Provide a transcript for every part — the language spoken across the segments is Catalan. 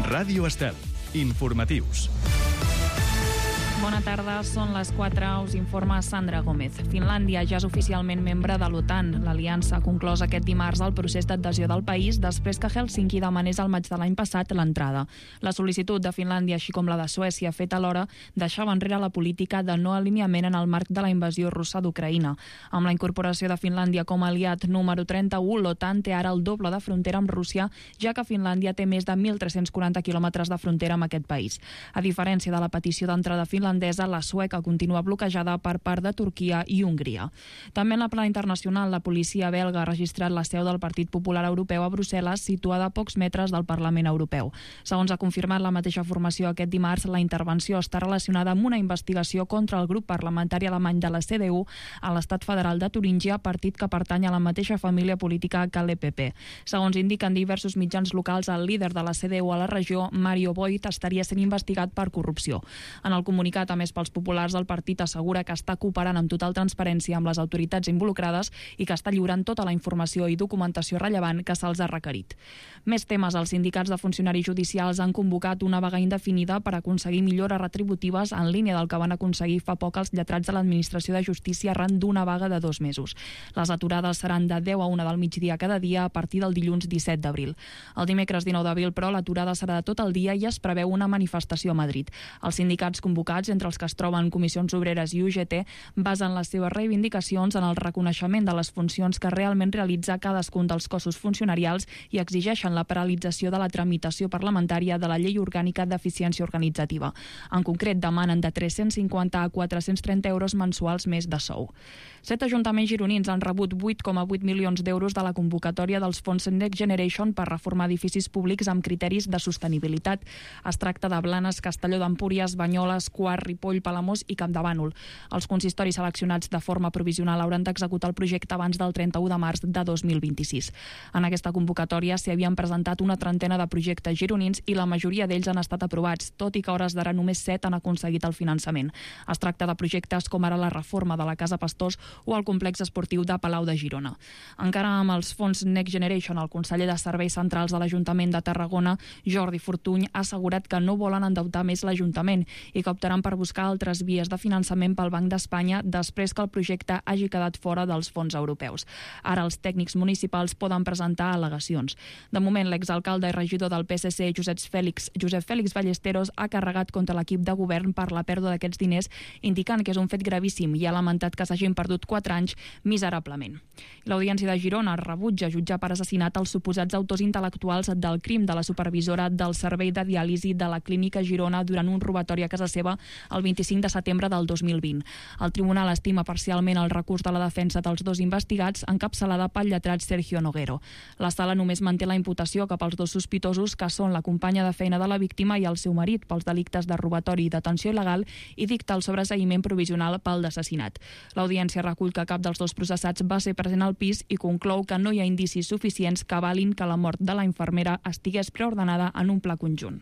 Ràdio Estel. Informatius. Bona tarda, són les 4, us informa Sandra Gómez. Finlàndia ja és oficialment membre de l'OTAN. L'aliança ha conclòs aquest dimarts el procés d'adhesió del país després que Helsinki demanés al maig de l'any passat l'entrada. La sol·licitud de Finlàndia, així com la de Suècia, feta alhora, deixava enrere la política de no alineament en el marc de la invasió russa d'Ucraïna. Amb la incorporació de Finlàndia com a aliat número 31, l'OTAN té ara el doble de frontera amb Rússia, ja que Finlàndia té més de 1.340 quilòmetres de frontera amb aquest país. A diferència de la petició d'entrada finlandesa, la sueca continua bloquejada per part de Turquia i Hongria. També en la plana internacional, la policia belga ha registrat la seu del Partit Popular Europeu a Brussel·les, situada a pocs metres del Parlament Europeu. Segons ha confirmat la mateixa formació aquest dimarts, la intervenció està relacionada amb una investigació contra el grup parlamentari alemany de la CDU a l'estat federal de Turíngia, partit que pertany a la mateixa família política que l'EPP. Segons indiquen diversos mitjans locals, el líder de la CDU a la regió, Mario Voigt, estaria sent investigat per corrupció. En el comunicat, a més pels populars, el partit assegura que està cooperant amb total transparència amb les autoritats involucrades i que està lliurant tota la informació i documentació rellevant que se'ls ha requerit. Més temes, els sindicats de funcionaris judicials han convocat una vaga indefinida per aconseguir millores retributives en línia del que van aconseguir fa poc els lletrats de l'Administració de Justícia arran d'una vaga de 2 mesos. Les aturades seran de 10 a 1 del migdia cada dia a partir del dilluns 17 d'abril. El dimecres 19 d'abril, però, l'aturada serà de tot el dia i es preveu una manifestació a Madrid. Els sindicats convocats, entre els que es troben Comissions Obreres i UGT, basen les seves reivindicacions en el reconeixement de les funcions que realment realitza cadascun dels cossos funcionarials i exigeixen la paralització de la tramitació parlamentària de la Llei Orgànica d'Eficiència Organitzativa. En concret, demanen de 350 a 430 euros mensuals més de sou. 7 ajuntaments gironins han rebut 8,8 milions d'euros de la convocatòria dels fons Next Generation per reformar edificis públics amb criteris de sostenibilitat. Es tracta de Blanes, Castelló d'Empúries, Banyoles, Quart, Ripoll, Palamós i Campdevànol. Els consistoris seleccionats de forma provisional hauran d'executar el projecte abans del 31 de març de 2026. En aquesta convocatòria s'hi havien presentat una trentena de projectes gironins i la majoria d'ells han estat aprovats, tot i que a hores d'ara només 7 han aconseguit el finançament. Es tracta de projectes com ara la reforma de la Casa Pastors o el complex esportiu de Palau de Girona. Encara amb els fons Next Generation, el conseller de Serveis Centrals de l'Ajuntament de Tarragona, Jordi Fortuny, ha assegurat que no volen endeutar més l'Ajuntament i que optaran per buscar altres vies de finançament pel Banc d'Espanya després que el projecte hagi quedat fora dels fons europeus. Ara els tècnics municipals poden presentar al·legacions. De moment, l'exalcalde i regidor del PSC, Josep Fèlix Ballesteros, ha carregat contra l'equip de govern per la pèrdua d'aquests diners, indicant que és un fet gravíssim i ha lamentat que s'hagin perdut 4 anys miserablement. L'Audiència de Girona rebutja jutjar per assassinat els suposats autors intel·lectuals del crim de la supervisora del servei de diàlisi de la Clínica Girona durant un robatori a casa seva el 25 de setembre del 2020. El tribunal estima parcialment el recurs de la defensa dels dos investigats, encapçalada pel lletrat Sergio Noguero. La sala només manté la imputació cap als dos sospitosos, que són la companya de feina de la víctima i el seu marit, pels delictes de robatori i detenció il·legal, i dicta el sobreseïment provisional pel d'assassinat. L'audiència recull que cap dels dos processats va ser present al pis i conclou que no hi ha indicis suficients que avalin que la mort de la infermera estigués preordenada en un pla conjunt.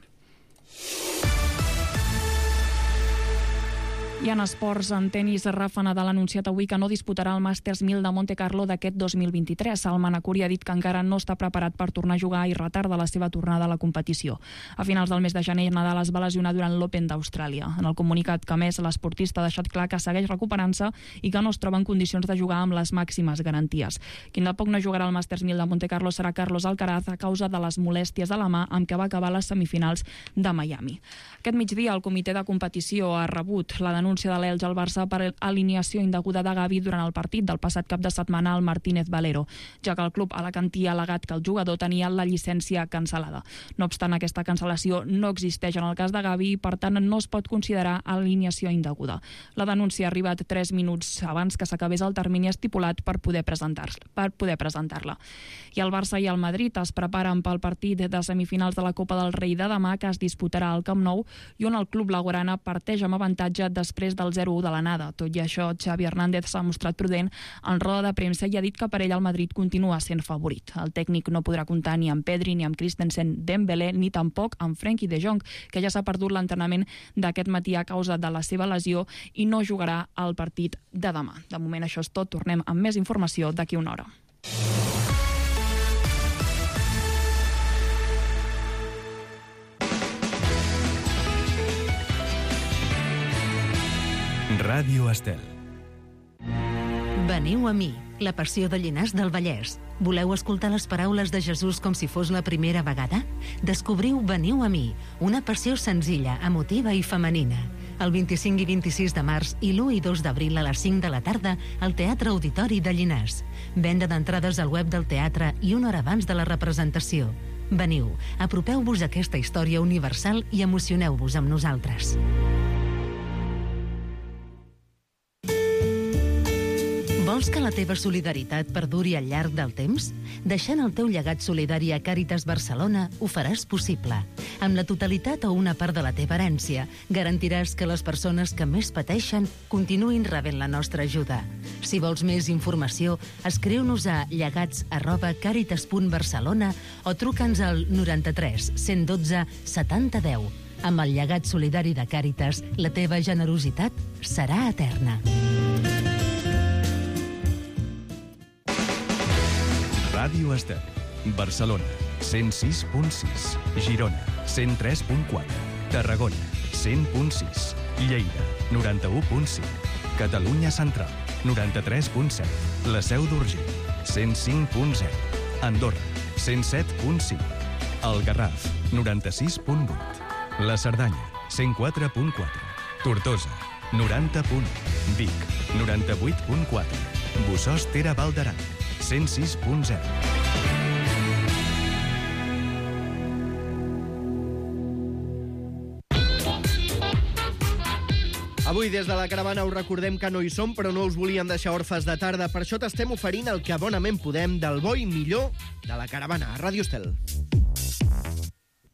I en esports, en tenis, Rafa Nadal ha anunciat avui que no disputarà el Masters 1000 de Monte Carlo d'aquest 2023. El manacuri ha dit que encara no està preparat per tornar a jugar i retarda la seva tornada a la competició. A finals del mes de gener, Nadal es va lesionar durant l'Open d'Austràlia. En el comunicat que, a més, l'esportista ha deixat clar que segueix recuperant-se i que no es troba en condicions de jugar amb les màximes garanties. Qui de poc no jugarà al Masters 1000 de Monte Carlo serà Carlos Alcaraz a causa de les molèsties a la mà amb què va acabar les semifinals de Miami. Aquest migdia, el comitè de competició ha rebut la denúncia de l'Elx al Barça per alineació indeguda de Gavi durant el partit del passat cap de setmana al Martínez Valero, ja que el club alacantí ha al·legat que el jugador tenia la llicència cancel·lada. No obstant, aquesta cancel·lació no existeix en el cas de Gavi i, per tant, no es pot considerar alineació indeguda. La denúncia ha arribat 3 minuts abans que s'acabés el termini estipulat per poder presentar-la. I el Barça i el Madrid es preparen pel partit de semifinals de la Copa del Rei de demà, que es disputarà al Camp Nou i on el club blaugrana parteix amb avantatge després del 0-1 de l'anada. Tot i això, Xavi Hernández s'ha mostrat prudent en roda de premsa i ha dit que per ell el Madrid continua sent favorit. El tècnic no podrà comptar ni amb Pedri, ni amb Christensen, Dembélé, ni tampoc amb Frenkie de Jong, que ja s'ha perdut l'entrenament d'aquest matí a causa de la seva lesió i no jugarà al partit de demà. De moment això és tot. Tornem amb més informació d'aquí una hora. Ràdio Estel. Veniu a mi, la passió de Llinars del Vallès. Voleu escoltar les paraules de Jesús com si fos la primera vegada? Descobriu Veniu a mi, una passió senzilla, emotiva i femenina. El 25 i 26 de març i l'1 i 2 d'abril a les 5 de la tarda al Teatre Auditori de Llinars. Venda d'entrades al web del teatre i una hora abans de la representació. Veniu, apropeu-vos a aquesta història universal i emocioneu-vos amb nosaltres. Vols que la teva solidaritat perduri al llarg del temps? Deixant el teu llegat solidari a Càritas Barcelona ho faràs possible. Amb la totalitat o una part de la teva herència, garantiràs que les persones que més pateixen continuïn rebent la nostra ajuda. Si vols més informació, escriu-nos a llegats@caritas.barcelona o truca'ns al 93 112 70 10. Amb el llegat solidari de Càritas, la teva generositat serà eterna. Ràdio Estel. Barcelona, 106.6. Girona, 103.4. Tarragona, 100.6. Lleida, 91.5. Catalunya Central, 93.7. La Seu d'Urgell, 105.0. Andorra, 107.5. El Garraf, 96.8. La Cerdanya, 104.4. Tortosa, 90.1. Vic, 98.4. Bossòst-Tere Val d'Aran, 106.0. Avui, des de la caravana, us recordem que no hi som, però no us volíem deixar orfes de tarda. Per això t'estem oferint el que bonament podem del bo i millor de la caravana a Ràdio Estel.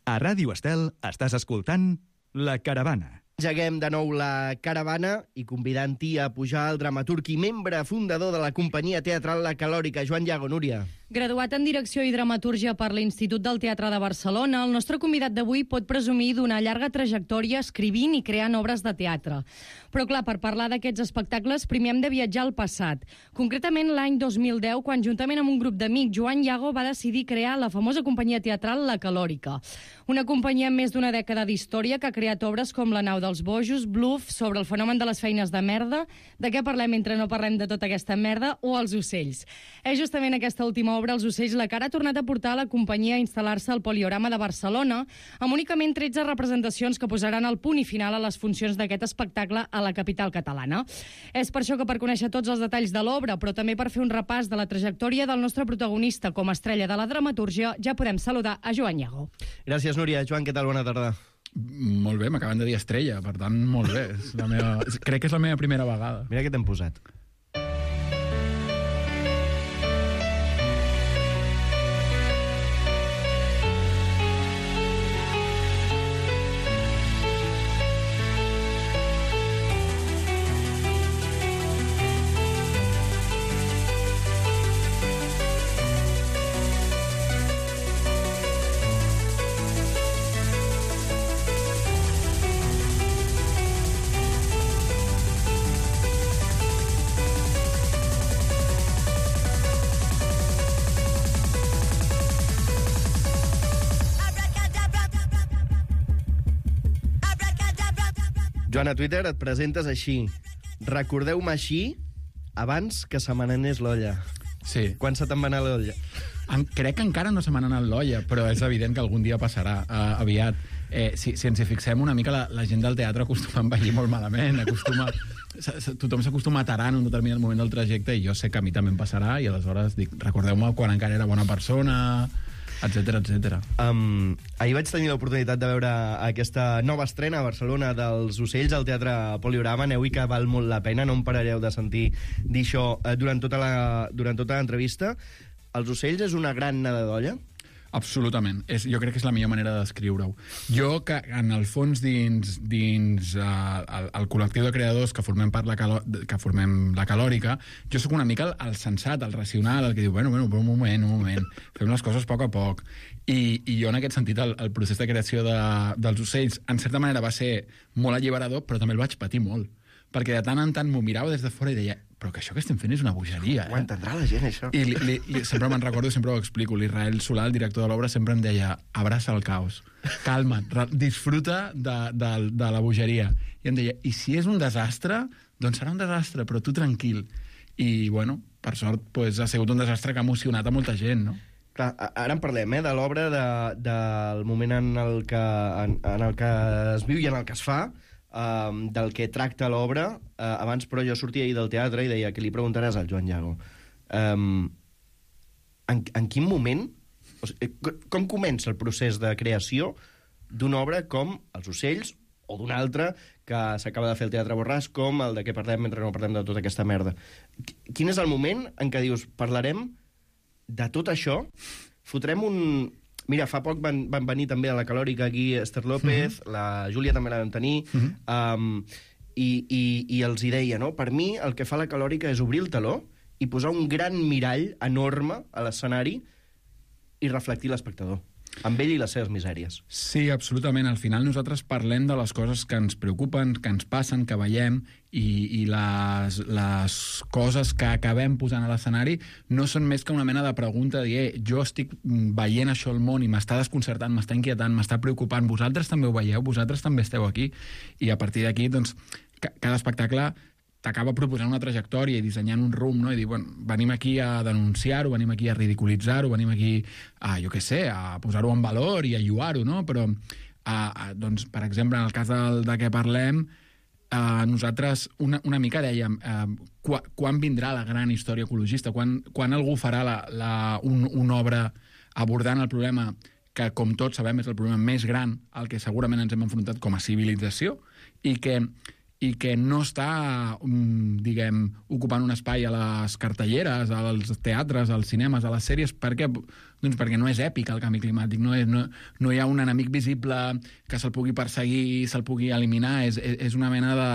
A Ràdio Estel estàs escoltant La Caravana. Engeguem de nou la caravana i convidant-hi a pujar el dramaturg i membre fundador de la companyia teatral La Calòrica, Joan Llago. Núria. Graduat en Direcció i Dramatúrgia per l'Institut del Teatre de Barcelona, el nostre convidat d'avui pot presumir d'una llarga trajectòria escrivint i creant obres de teatre. Però, clar, per parlar d'aquests espectacles, primer hem de viatjar al passat. Concretament l'any 2010, quan juntament amb un grup d'amics, Joan Llago va decidir crear la famosa companyia teatral La Calòrica. Una companyia amb més d'una dècada d'història que ha creat obres com La nau dels bojos, Bluff, sobre el fenomen de les feines de merda, de què parlem mentre no parlem de tota aquesta merda, o Els ocells. És justament aquesta última obra, Els ocells, la que ara ha tornat a portar a la companyia a instal·lar-se al Poliorama de Barcelona, amb únicament 13 representacions que posaran el punt i final a les funcions d'aquest espectacle a la capital catalana. És per això que, per conèixer tots els detalls de l'obra, però també per fer un repàs de la trajectòria del nostre protagonista com a estrella de la dramatúrgia, ja podem saludar a Joan Llago. Gràcies, Núria. Joan, què tal? Bona tarda. Molt bé, m'acaben de dir estrella, per tant, molt bé. Crec que és la meva primera vegada. Mira què t'hem posat. Joan, a Twitter et presentes així. Recordeu-me així abans que se me n'anés l'olla. Sí. Quan se te'n va anar l'olla? Crec que encara no se m'ha anat l'olla, però és evident que algun dia passarà, aviat. Si ens hi fixem una mica, la gent del teatre acostuma a envellir molt malament, tothom s'acostuma a tarar en un determinat moment del trajecte, i jo sé que a mi també em passarà, i aleshores dic, recordeu-me quan encara era bona persona, etcètera, etcètera. Ahir vaig tenir l'oportunitat de veure aquesta nova estrena a Barcelona dels ocells al Teatre Poliorama. Aneu-hi, que val molt la pena, no em parareu de sentir dir això durant tota l'entrevista. Els ocells és una gran nada d'olla? Absolutament. Jo crec que és la millor manera de descriure-ho. Jo, que en el fons dins el col·lectiu de creadors que formem la Calòrica, jo sóc una mica el sensat, el racional, el que diu, bueno, però un moment, fem les coses a poc. I jo, en aquest sentit, el procés de creació dels ocells, en certa manera, va ser molt alliberador, però també el vaig patir molt. Perquè de tant en tant m'ho mirava des de fora i deia, però que això que estem fent és una bogeria. Ho entendrà la gent, això. I sempre me'n recordo, sempre ho explico, l'Israel Solà, el director de l'obra, sempre em deia, abraça el caos, calma't, disfruta de la bogeria. I em deia, i si és un desastre, doncs serà un desastre, però tu tranquil. I, bueno, per sort, pues, ha sigut un desastre que ha emocionat a molta gent, no? Clar, ara en parlem, de l'obra, del moment en el que es viu i en el que es fa, del que tracta l'obra. Abans, però, jo sortia ahir del teatre i deia que li preguntaràs al Joan Llago. En quin moment, o sigui, com comença el procés de creació d'una obra com Els ocells, o d'una altra que s'acaba de fer el Teatre Borràs, com el de què parlem mentre no parlem de tota aquesta merda? Quin és el moment en què dius, parlarem de tot això, fotrem un... Mira, fa poc van venir també a la Calòrica aquí Esther López, la Júlia també la vam tenir, i els hi deia, no? Per mi el que fa la Calòrica és obrir el teló i posar un gran mirall enorme a l'escenari i reflectir l'espectador, amb ell i les seves misèries. Sí, absolutament. Al final nosaltres parlem de les coses que ens preocupen, que ens passen, que veiem, i les coses que acabem posant a l'escenari no són més que una mena de pregunta de dir, jo estic veient això al món i m'està desconcertant, m'està inquietant, m'està preocupant, vosaltres també ho veieu, vosaltres també esteu aquí, i a partir d'aquí, doncs, cada espectacle t'acaba proposant una trajectòria i dissenyant un rumb, no? I dir, bueno, venim aquí a denunciar-ho, venim aquí a ridiculitzar-ho, venim aquí a, jo què sé, a posar-ho en valor i a lluar-ho, no? Però, doncs, per exemple, en el cas de què parlem, nosaltres una mica dèiem quan vindrà la gran història ecologista, quan algú farà una obra abordant el problema que, com tots sabem, és el problema més gran al que segurament ens hem enfrontat com a civilització i que no està, diguem, ocupant un espai a les cartelleres, als teatres, als cinemes, a les sèries. Per què? Doncs perquè no és èpic el canvi climàtic, no hi ha un enemic visible que se'l pugui perseguir, se'l pugui eliminar, és una mena de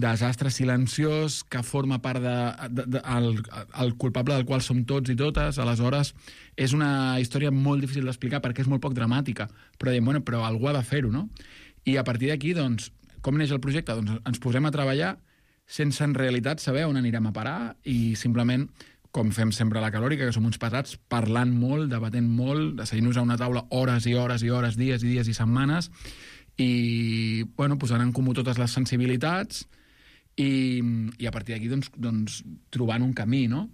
desastre silenciós que forma part el culpable del qual som tots i totes. Aleshores, és una història molt difícil d'explicar perquè és molt poc dramàtica, però diem, bueno, però algú ha de fer-ho, no? I a partir d'aquí, doncs, com neix el projecte? Doncs ens posem a treballar sense en realitat saber on anirem a parar i simplement, com fem sempre a la Calòrica, que som uns pesats, parlant molt, debatent molt, asseient-nos a una taula hores i hores i hores, dies i dies i setmanes, i bueno, posant en comú totes les sensibilitats i a partir d'aquí doncs, trobant un camí, no?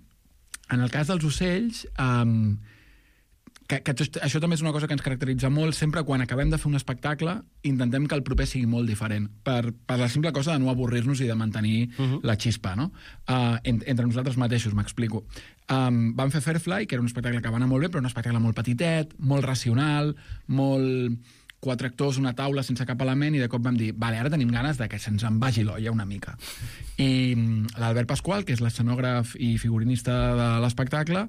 En el cas dels ocells, que això també és una cosa que ens caracteritza molt. Sempre quan acabem de fer un espectacle intentem que el proper sigui molt diferent per la simple cosa de no avorrir-nos i de mantenir la xispa, no? Entre nosaltres mateixos, m'explico. Vam fer Fairfly, que era un espectacle que va anar molt bé, però un espectacle molt petitet, molt racional, molt 4 actors, una taula sense cap element, i de cop vam dir, vale, ara tenim ganes de que se'ns en vagi l'olla una mica. I l'Albert Pasqual, que és l'escenògraf i figurinista de l'espectacle,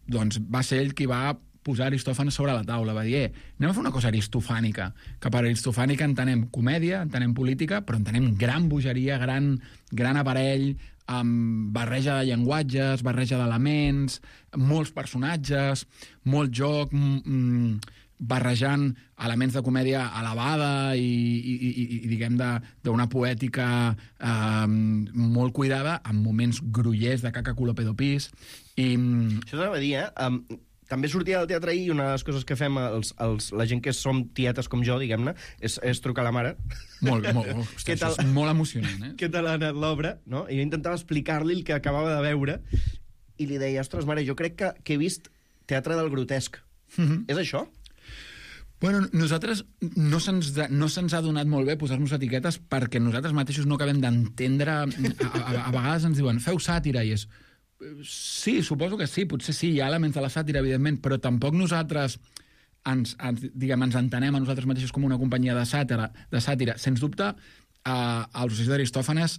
doncs va ser ell qui va posar Aristòfanes sobre la taula, va dir, anem a fer una cosa aristofànica, que per aristofànica entenem comèdia, entenem política, però entenem gran bogeria, gran aparell, amb barreja de llenguatges, barreja d'elements, molts personatges, molt joc, barrejant elements de comèdia elevada i diguem, d'una poètica molt cuidada, amb moments grollers de caca culo pedo pis. Això t'anava a dir, també sortia del teatre ahir i una de les coses que fem la gent que som tietes com jo, diguem-ne, és trucar a la mare. Molt, hòstia, això és molt emocionant, Què tal ha anat l'obra, no? I jo intentava explicar-li el que acabava de veure i li deia, ostres, mare, jo crec que he vist teatre del grotesc. És això? Bueno, nosaltres no se'ns ha donat molt bé posar-nos etiquetes perquè nosaltres mateixos no acabem d'entendre. A vegades ens diuen, feu sàtira, i és... Sí, suposo que sí, potser sí, hi ha elements de la sàtira, evidentment, però tampoc nosaltres ens entenem a nosaltres mateixos com una companyia de sàtira. Sens dubte, els ocells d'Aristòfanes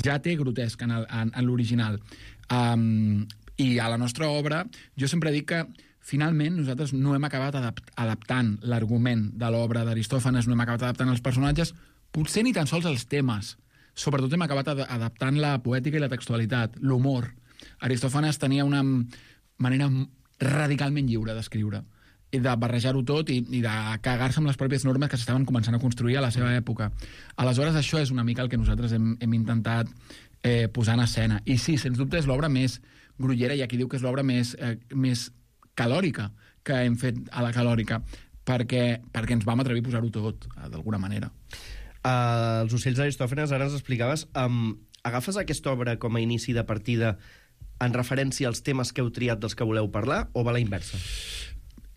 ja té grotesc en l'original. I a la nostra obra, jo sempre dic que finalment nosaltres no hem acabat adaptant l'argument de l'obra d'Aristòfanes, no hem acabat adaptant els personatges, potser ni tan sols els temes. Sobretot hem acabat adaptant la poètica i la textualitat, l'humor. Aristòfanes tenia una manera radicalment lliure d'escriure, i de barrejar-ho tot i de cagar-se amb les pròpies normes que s'estaven començant a construir a la seva època. Aleshores, això és una mica el que nosaltres hem intentat posar en escena. I sí, sens dubte, és l'obra més grollera, i aquí diu que és l'obra més calòrica que hem fet a la Calòrica, perquè ens vam atrevir a posar-ho tot, d'alguna manera. Els ocells d'Aristòfanes, ara ens explicaves, agafes aquesta obra com a inici de partida en referència als temes que heu triat dels que voleu parlar, o va a la inversa?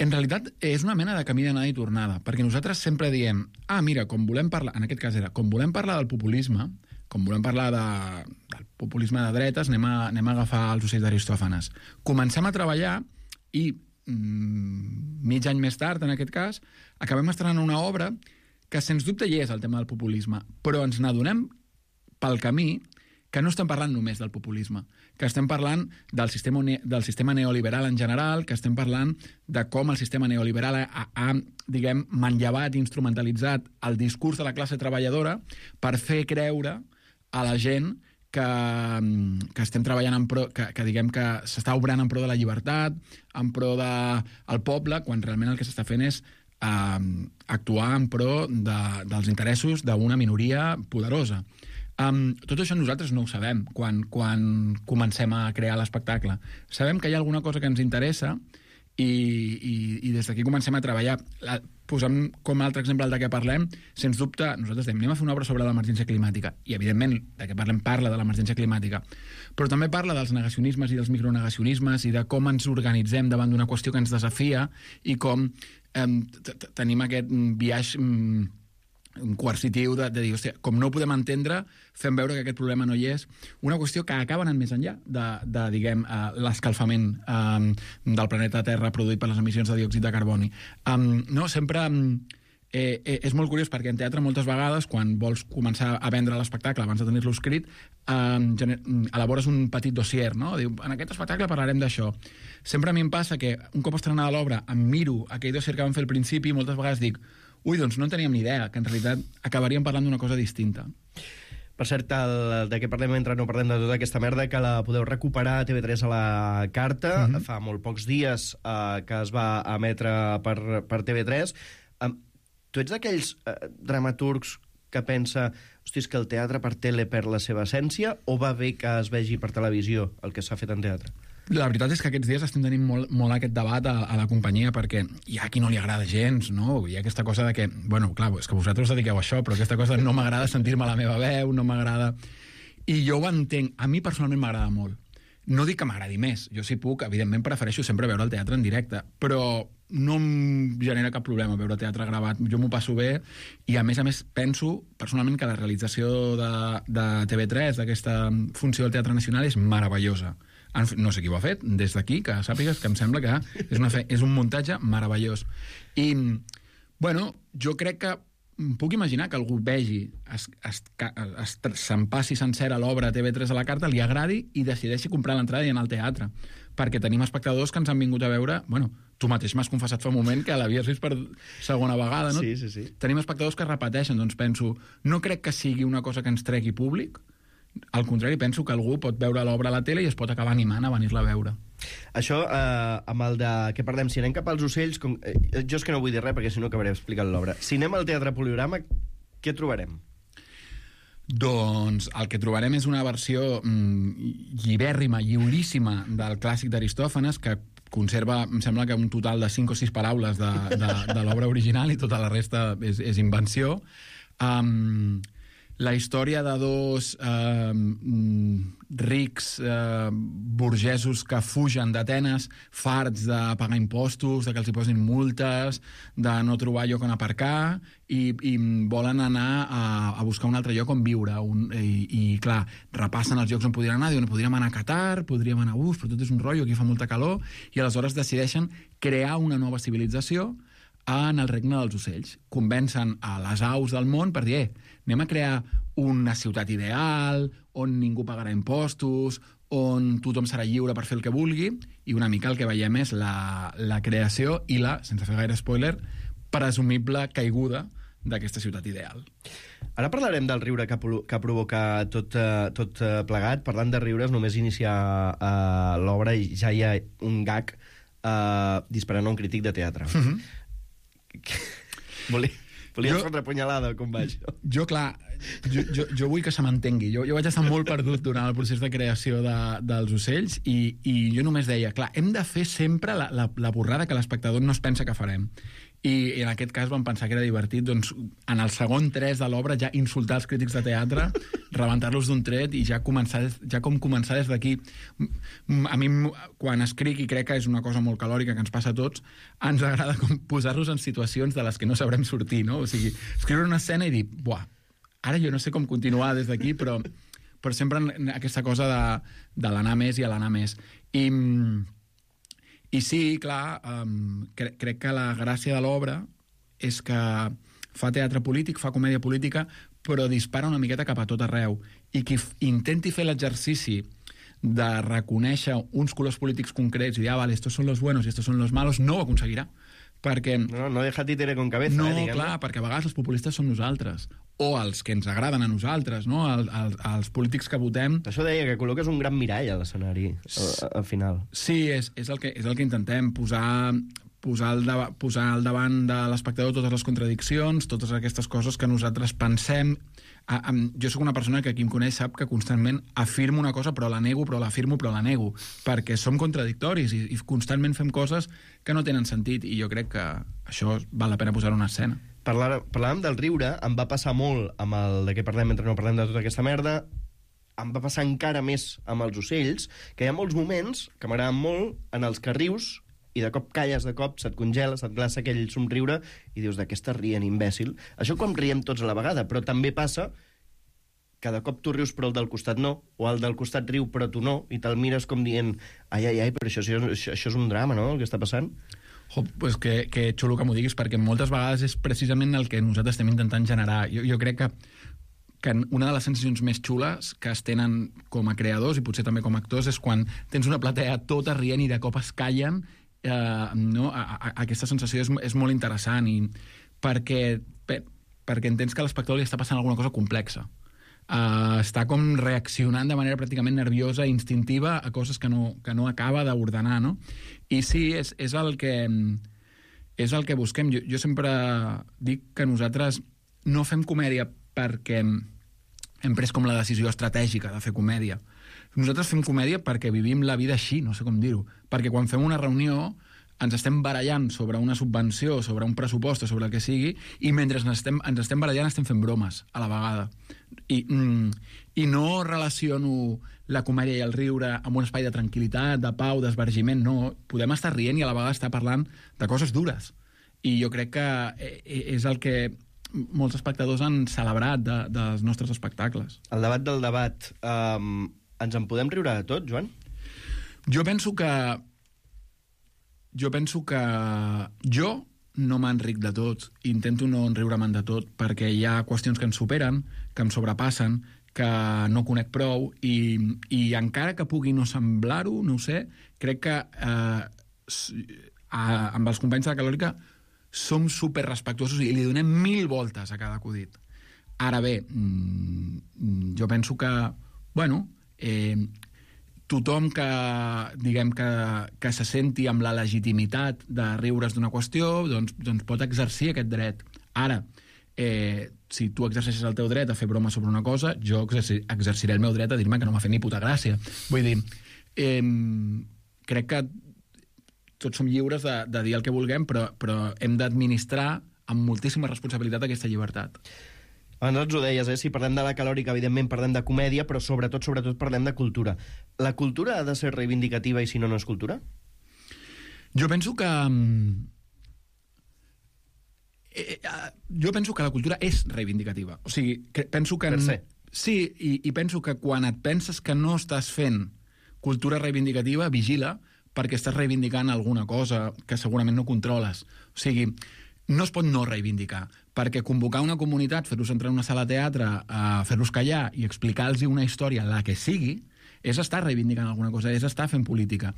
En realitat, és una mena de camí d'anada i tornada, perquè nosaltres sempre diem, mira, com volem parlar, en aquest cas era, com volem parlar del populisme, com volem parlar del populisme de dretes, anem a agafar els ocells d'Aristòfanes. Comencem a treballar i mig any més tard, en aquest cas, acabem estrenant una obra que, sens dubte, hi és el tema del populisme, però ens n'adonem pel camí que no estem parlant només del populisme, que estem parlant del sistema neoliberal en general, que estem parlant de com el sistema neoliberal ha diguem, manllevat i instrumentalitzat el discurs de la classe treballadora per fer creure a la gent que estem treballant en pro, que diguem que s'està obrant en pro de la llibertat, en pro del poble, quan realment el que s'està fent és actuar en pro dels interessos d'una minoria poderosa. Tot això nosaltres no ho sabem quan comencem a crear l'espectacle. Sabem que hi ha alguna cosa que ens interessa i des d'aquí comencem a treballar. Posem com a altre exemple el de què parlem, sens dubte, nosaltres anem a fer una obra sobre l'emergència climàtica, i evidentment de què parlem parla de l'emergència climàtica, però també parla dels negacionismes i dels micronegacionismes i de com ens organitzem davant d'una qüestió que ens desafia i com tenim aquest biaix coercitiu de dir, hòstia, com no ho podem entendre, fem veure que aquest problema no hi és. Una qüestió que acaba anant més enllà de diguem, l'escalfament del planeta Terra produït per les emissions de diòxid de carboni. No, sempre és molt curiós perquè en teatre moltes vegades, quan vols començar a vendre l'espectacle abans de tenir-lo escrit, elabores un petit dossier, no? Diu, en aquest espectacle parlarem d'això. Sempre a mi em passa que un cop estrenada l'obra em miro aquell dossier que vam fer al principi i moltes vegades dic, doncs no en teníem ni idea, que en realitat acabaríem parlant d'una cosa distinta. Per cert, de què parlem mentre no parlem de tota aquesta merda, que la podeu recuperar a TV3 a la carta. Fa molt pocs dies que es va emetre per TV3. Tu ets d'aquells dramaturgs que pensa, hosti, és que el teatre per tele perd la seva essència, o va bé que es vegi per televisió el que s'ha fet en teatre? La veritat és que aquests dies estem tenint molt aquest debat a la companyia, perquè hi ha qui no li agrada gens, no? Hi ha aquesta cosa de que, bueno, clar, és que vosaltres us dediqueu a això, però aquesta cosa de no m'agrada sentir-me la meva veu, no m'agrada... I jo ho entenc. A mi personalment m'agrada molt. No dic que m'agradi més. Jo si puc, evidentment prefereixo sempre veure el teatre en directe, però no em genera cap problema veure teatre gravat. Jo m'ho passo bé i, a més, penso personalment que la realització de TV3, d'aquesta funció del Teatre Nacional, és meravellosa. No sé qui ho ha fet, des d'aquí, que sàpigues que em sembla que és un muntatge meravellós. I, bueno, jo crec que puc imaginar que algú vegi, se'n passi sencera l'obra a TV3 a la carta, li agradi i decideixi comprar l'entrada i anar al teatre. Perquè tenim espectadors que ens han vingut a veure... Bueno, tu mateix m'has confessat fa un moment que l'havies vist per segona vegada, no? Sí. Tenim espectadors que repeteixen, doncs penso, no crec que sigui una cosa que ens tregui públic. Al contrari, penso que algú pot veure l'obra a la tele i es pot acabar animant a venir-la a veure. Això, amb el de què parlem, si anem cap als ocells, jo és que no vull dir res perquè si no acabaré explicant l'obra. Si anem al Teatre Poliorama, què trobarem? Doncs el que trobarem és una versió llibèrrima, lliuríssima del clàssic d'Aristòfanes, que conserva, em sembla que un total de 5 o 6 paraules de l'obra original i tota la resta és invenció. La història de dos rics burgesos que fugen d'Atenes, farts de pagar impostos, de que els hi posin multes, de no trobar lloc on aparcar, i volen anar a buscar un altre lloc on viure. I clar, repassen els llocs on podrien anar, diuen, podríem anar a Qatar, podríem anar a però tot és un rotllo, aquí fa molta calor, i aleshores decideixen crear una nova civilització en el regne dels ocells. Convencen a les aus del món per dir, anem a crear una ciutat ideal, on ningú pagarà impostos, on tothom serà lliure per fer el que vulgui, i una mica el que veiem és la creació i sense fer gaire spoiler, presumible caiguda d'aquesta ciutat ideal. Ara parlarem del riure que provoca tot plegat. Parlant de riures, només iniciar l'obra i ja hi ha un gag disparant a un crític de teatre. Volies fotre punyalada, com va això? Jo, clar, jo vull que se m'entengui. Jo vaig estar molt perdut durant el procés de creació dels ocells i jo només deia, clar, hem de fer sempre la borrada que l'espectador no es pensa que farem. I en aquest cas vam pensar que era divertit, doncs, en el segon 3 de l'obra ja insultar els crítics de teatre, rebentar-los d'un tret i ja començar des d'aquí. A mi, quan escric, i crec que és una cosa molt calòrica que ens passa a tots, ens agrada posar-los en situacions de les que no sabrem sortir, no? O sigui, escriure una escena i dir, buah, ara jo no sé com continuar des d'aquí, però sempre aquesta cosa de l'anar més i a l'anar més. I sí, clar, crec que la gràcia de l'obra és que fa teatre polític, fa comèdia política, però dispara una miqueta cap a tot arreu. I qui intenti fer l'exercici de reconèixer uns colors polítics concrets i dir, vale, estos son los buenos i estos son los malos, no ho aconseguirà. Perquè... No deja títere con cabeza. No, clar, perquè a vegades els populistes som nosaltres. O els que ens agraden a nosaltres, no? Els polítics que votem... Això deia, que col·loques un gran mirall a l'escenari, al final. Sí, és el que intentem, posar al davant de l'espectador totes les contradiccions, totes aquestes coses que nosaltres pensem. Jo sóc una persona que qui em coneix sap que constantment afirmo una cosa, però la nego, però l'afirmo, però la nego, perquè som contradictoris i constantment fem coses que no tenen sentit, i jo crec que això val la pena posar una escena. Parlàvem del riure, em va passar molt amb el de què parlem mentre no parlem de tota aquesta merda, em va passar encara més amb els ocells, que hi ha molts moments que m'agraden molt en els que rius i de cop calles, de cop se't congela, se't glaça aquell somriure i dius, de què estàs rient, imbècil? Això quan riem tots a la vegada, però també passa que de cop tu rius però el del costat no, o el del costat riu però tu no, i te'l mires com dient, ai, però això és un drama, no?, el que està passant. Pues que xulo que m'ho diguis, perquè moltes vegades és precisament el que nosaltres estem intentant generar. Jo crec que una de les sensacions més xules que es tenen com a creadors i potser també com a actors és quan tens una platea tota rient i de cop es callen. No? Aquesta sensació és molt interessant i perquè entens que a l'espectador li està passant alguna cosa complexa. Està com reaccionant de manera pràcticament nerviosa i instintiva a coses que no acaba d'ordenar, no? I sí, és el que busquem. Jo sempre dic que nosaltres no fem comèdia perquè hem pres com la decisió estratègica de fer comèdia. Nosaltres fem comèdia perquè vivim la vida així, no sé com dir-ho. Perquè quan fem una reunió ens estem barallant sobre una subvenció, sobre un pressupost o sobre el que sigui, i mentre ens estem barallant estem fent bromes a la vegada. I no relaciono la comèdia i el riure amb un espai de tranquil·litat, de pau, d'esbargiment, no. Podem estar rient i a la vegada estar parlant de coses dures. I jo crec que és el que molts espectadors han celebrat dels nostres espectacles. El debat del debat. Ens en podem riure de tot, Joan? Jo penso que jo no m'enric de tot, intento no enriure-me'n de tot, perquè hi ha qüestions que ens superen, que em sobrepassen, que no conec prou, i encara que pugui no semblar-ho, no ho sé, crec que amb els companys de la Calòrica som superrespectuosos i li donem 1000 voltes a cada acudit. Ara bé, jo penso que, tothom que, diguem, que se senti amb la legitimitat de riure's d'una qüestió, doncs pot exercir aquest dret. Ara, si tu exerceixes el teu dret a fer broma sobre una cosa, jo exerciré el meu dret a dir-me que no m'ha fet ni puta gràcia. Vull dir, crec que tots som lliures de dir el que vulguem, però hem d'administrar amb moltíssima responsabilitat aquesta llibertat. Abans ho deies, si parlem de la Calòrica, evidentment parlem de comèdia, però sobretot parlem de cultura. La cultura ha de ser reivindicativa i si no, no és cultura? Jo penso que la cultura és reivindicativa. O sigui, penso que... Per se. Sí, i penso que quan et penses que no estàs fent cultura reivindicativa, vigila, perquè estàs reivindicant alguna cosa que segurament no controles. O sigui, no es pot no reivindicar, perquè convocar una comunitat, fer-los entrar en una sala de teatre, fer-los callar i explicar-los una història, la que sigui, és estar reivindicant alguna cosa, és estar fent política.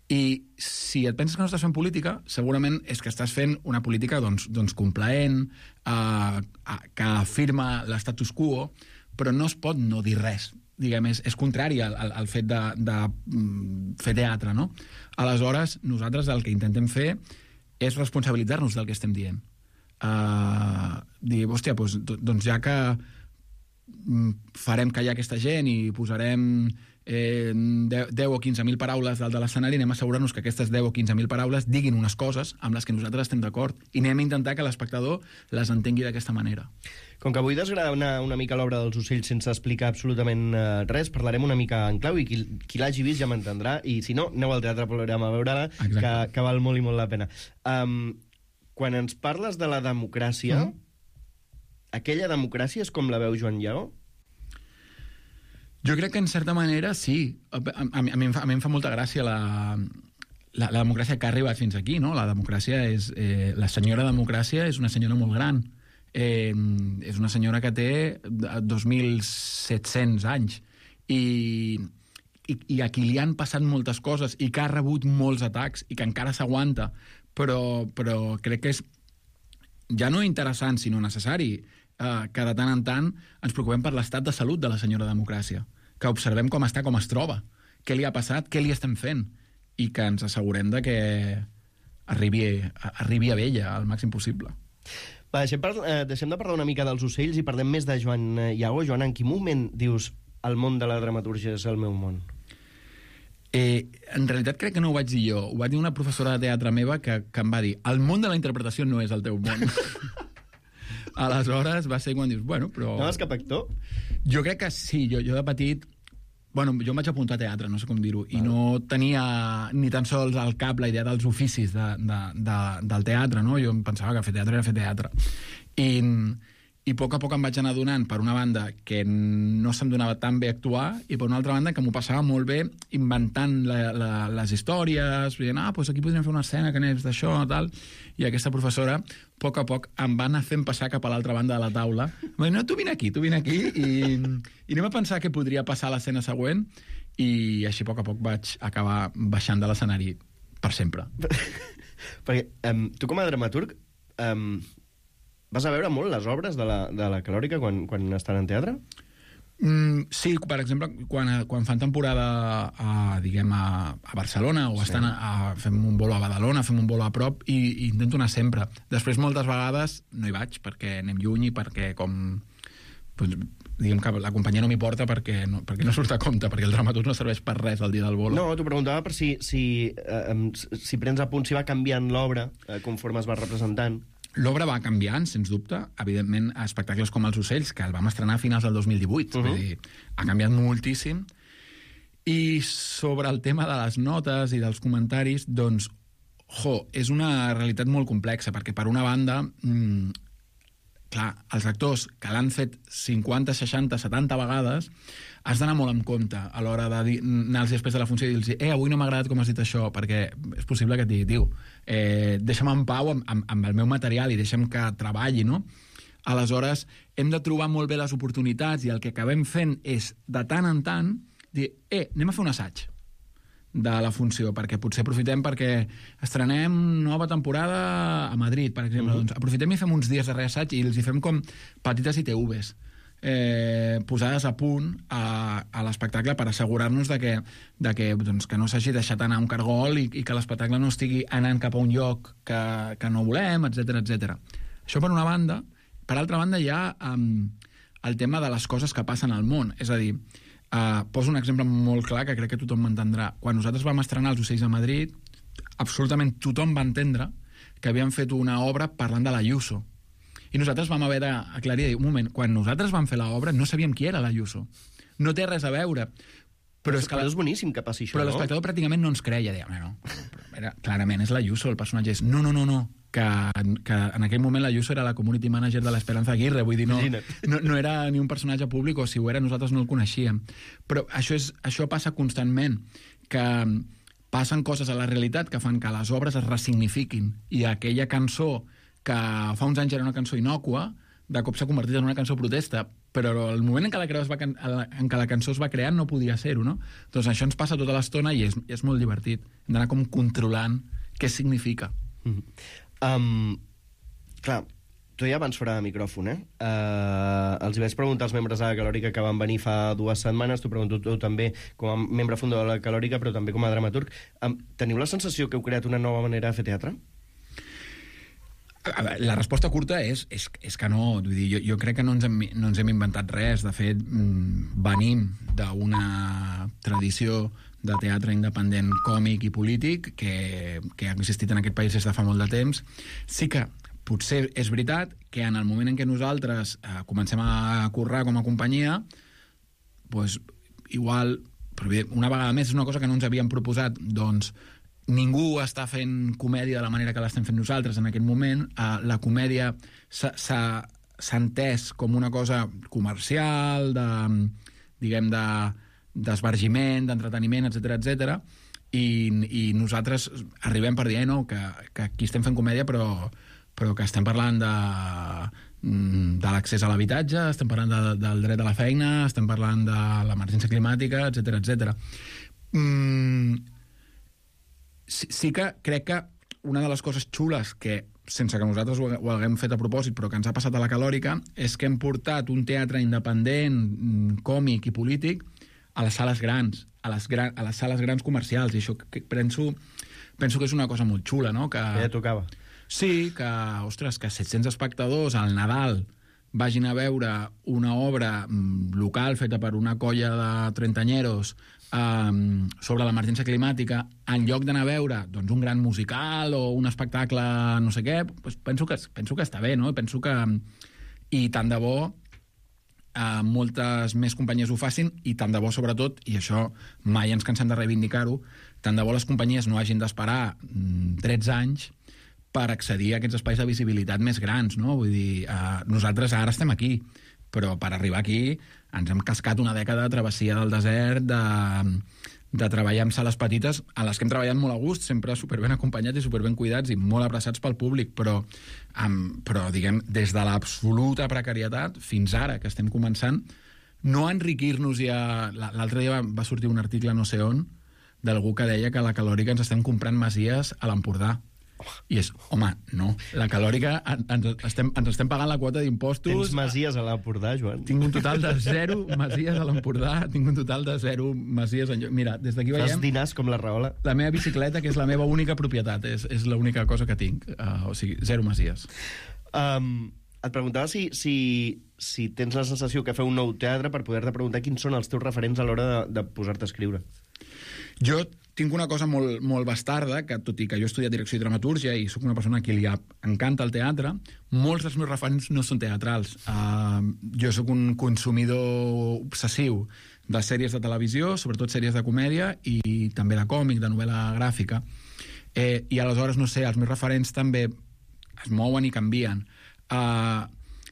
I si et penses que no estàs fent política, segurament és que estàs fent una política doncs complaent, que afirma l'estatus quo, però no es pot no dir res. Diguem, és contrari al fet de fer teatre, no? Aleshores, nosaltres el que intentem fer és responsabilitzar-nos del que estem dient. Dir, hòstia, doncs ja que farem callar aquesta gent i posarem 10 o 15.000 paraules dalt de l'escenari, anem a assegurar-nos que aquestes 10 o 15.000 paraules diguin unes coses amb les que nosaltres estem d'acord i anem a intentar que l'espectador les entengui d'aquesta manera. Com que avui desgranar una mica l'obra dels ocells sense explicar absolutament res, parlarem una mica en clau i qui l'hagi vist ja m'entendrà, i si no, aneu al Teatre Polorama a veure-la, que val molt i molt la pena. Quan ens parles de la democràcia, aquella democràcia és com la veu Joan Lleó? Jo crec que en certa manera sí. A mi em fa molta gràcia la democràcia que ha arribat fins aquí, no? La democràcia és... la senyora democràcia és una senyora molt gran. És una senyora que té 2.700 anys i a qui li han passat moltes coses i que ha rebut molts atacs i que encara s'aguanta, però crec que és ja no interessant, sinó necessari que de tant en tant ens preocupem per l'estat de salut de la senyora democràcia, que observem com està, com es troba, què li ha passat, què li estem fent, i que ens assegurem de que arribi a ella al màxim possible. Va, deixem de parlar una mica dels ocells i parlem més de Joan Lleó. Joan, en quin moment dius el món de la dramatúrgia és el meu món? En realitat crec que no ho vaig dir jo, ho va dir una professora de teatre meva que em va dir el món de la interpretació no és el teu món. Aleshores va ser quan dius, bueno, però... No és cap actor? Jo crec que sí, jo de petit... Bueno, jo em vaig apuntar a teatre, no sé com dir-ho, i no tenia ni tan sols al cap la idea dels oficis del teatre, no? Jo em pensava que fer teatre era fer teatre. I a poc em vaig anar adonant, per una banda, que no se'm donava tan bé actuar, i per una altra banda, que m'ho passava molt bé inventant les històries, dient, doncs aquí podríem fer una escena que n'és d'això, tal, i aquesta professora, a poc, em va anar fent passar cap a l'altra banda de la taula. Em va dir, no, tu vine aquí, i anem a pensar què podria passar a l'escena següent, i així a poc vaig acabar baixant de l'escenari per sempre. Perquè tu com a dramaturg vas a veure molt les obres de la Calòrica quan estan en teatre? Sí, per exemple, quan fan temporada a Barcelona o estan fem un bolo a Badalona, fem un bolo a prop, i intento anar sempre. Després, moltes vegades, no hi vaig, perquè anem lluny i perquè diguem que la companyia no m'hi porta perquè no surt a compte, perquè el dramaturg no serveix per res el dia del bolo. No, t'ho preguntava per si prens a punt, si va canviant l'obra conforme es va representant. L'obra va canviant, sens dubte. Evidentment, espectacles com Els ocells, que el vam estrenar a finals del 2018. Vull dir, ha canviat moltíssim. I sobre el tema de les notes i dels comentaris, doncs, és una realitat molt complexa, perquè per una banda, clar, els actors que l'han fet 50, 60, 70 vegades, has d'anar molt en compte a l'hora d'anar-los després de la funció i dir-los avui no m'ha agradat com has dit això, perquè és possible que et digui, tio, deixa'm en pau amb el meu material i deixa'm que treballi, no? Aleshores, hem de trobar molt bé les oportunitats i el que acabem fent és, de tant en tant, dir, anem a fer un assaig de la funció, perquè potser aprofitem perquè estrenem nova temporada a Madrid, per exemple. Doncs aprofitem i fem uns dies de reassaig i els hi fem com petites ITVs posades a punt a l'espectacle per assegurar-nos que no s'hagi deixat anar un cargol i que l'espectacle no estigui anant cap a un lloc que no volem, etc. Això per una banda. Per altra banda hi ha el tema de les coses que passen al món. És a dir, poso un exemple molt clar que crec que tothom m'entendrà. Quan nosaltres vam estrenar Els ocells a Madrid, absolutament tothom va entendre que havíem fet una obra parlant de l'Ayuso. I nosaltres vam haver d'aclarir, un moment, quan nosaltres vam fer l'obra no sabíem qui era l'Ayuso. No té res a veure. Però és boníssim que passi això, no? Però l'espectador pràcticament no ens creia. Deia, clarament és l'Ayuso, el personatge és... No, que en aquell moment l'Ayuso era la community manager de l'Esperanza Aguirre, vull dir, no era ni un personatge públic, o si ho era nosaltres no el coneixíem. Però això passa constantment, que passen coses a la realitat que fan que les obres es ressignifiquin, i aquella cançó que fa uns anys era una cançó innòcua, de cop s'ha convertit en una cançó protesta, però el moment en què la cançó es va crear no podia ser-ho, no? Doncs això ens passa tota l'estona i és molt divertit. Hem d'anar com controlant què significa. Clar, tu ja abans fora de micròfon, els hi vaig preguntar als membres de la Calòrica que van venir fa 2 setmanes, t'ho pregunto tu també com a membre fundador de la Calòrica, però també com a dramaturg. Teniu la sensació que heu creat una nova manera de fer teatre? La resposta curta és que no. Vull dir, jo crec que no ens hem inventat res. De fet, venim d'una tradició de teatre independent còmic i polític que ha existit en aquest país des de fa molt de temps. Sí que potser és veritat que en el moment en què nosaltres comencem a currar com a companyia, doncs, igual, una vegada més, és una cosa que no ens havíem proposat, doncs ningú està fent comèdia de la manera que l'estem fent nosaltres en aquest moment. La comèdia s'ha entès com una cosa comercial, d'esbargiment, d'entreteniment, etc. I nosaltres arribem per dir que aquí estem fent comèdia, però que estem parlant de l'accés a l'habitatge, estem parlant del dret a la feina, estem parlant de l'emergència climàtica, etc. Sí que crec que una de les coses xules que, sense que nosaltres ho haguem fet a propòsit, però que ens ha passat a la Calòrica, és que hem portat un teatre independent, còmic i polític a les sales grans, a les sales grans comercials, i això penso que és una cosa molt xula, no? Que ja tocava. Sí, que 700 espectadors al Nadal vagin a veure una obra local feta per una colla de trentanyeros sobre l'emergència climàtica, en lloc d'anar a veure doncs, un gran musical o un espectacle no sé què, doncs penso que està bé, no? Penso que... I tant de bo moltes més companyies ho facin, i tant de bo, sobretot, i això mai ens cansem de reivindicar-ho, tant de bo les companyies no hagin d'esperar 13 anys per accedir a aquests espais de visibilitat més grans, no? Vull dir, nosaltres ara estem aquí, però per arribar aquí ens hem cascat una dècada de travessia del desert, de treballar en sales petites, a les que hem treballat molt a gust, sempre superben acompanyats i superben cuidats i molt abraçats pel públic, però diguem, des de l'absoluta precarietat fins ara, que estem començant, no enriquir-nos ja... L'altre dia va sortir un article no sé on d'algú que deia que a la Calòrica ens estem comprant masies a l'Empordà. I és, home, no. La Calòrica ens estem pagant la quota d'impostos. Tens masies a l'Empordà, Joan? Tinc un total de 0 masies a l'Empordà, tinc un total de 0 masies en lloc. Mira, des d'aquí veiem... Fas dinars com la Rahola? La meva bicicleta, que és la meva única propietat, és l'única cosa que tinc. O sigui, 0 masies. Et preguntava si tens la sensació que feu un nou teatre per poder-te preguntar quins són els teus referents a l'hora de posar-te a escriure. Jo tinc una cosa molt bastarda, que tot i que jo he estudiat direcció i dramatúrgia i sóc una persona a qui li encanta el teatre, molts dels meus referents no són teatrals. Jo sóc un consumidor obsessiu de sèries de televisió, sobretot sèries de comèdia i també de còmic, de novel·la gràfica. I aleshores, no sé, els meus referents també es mouen i canvien.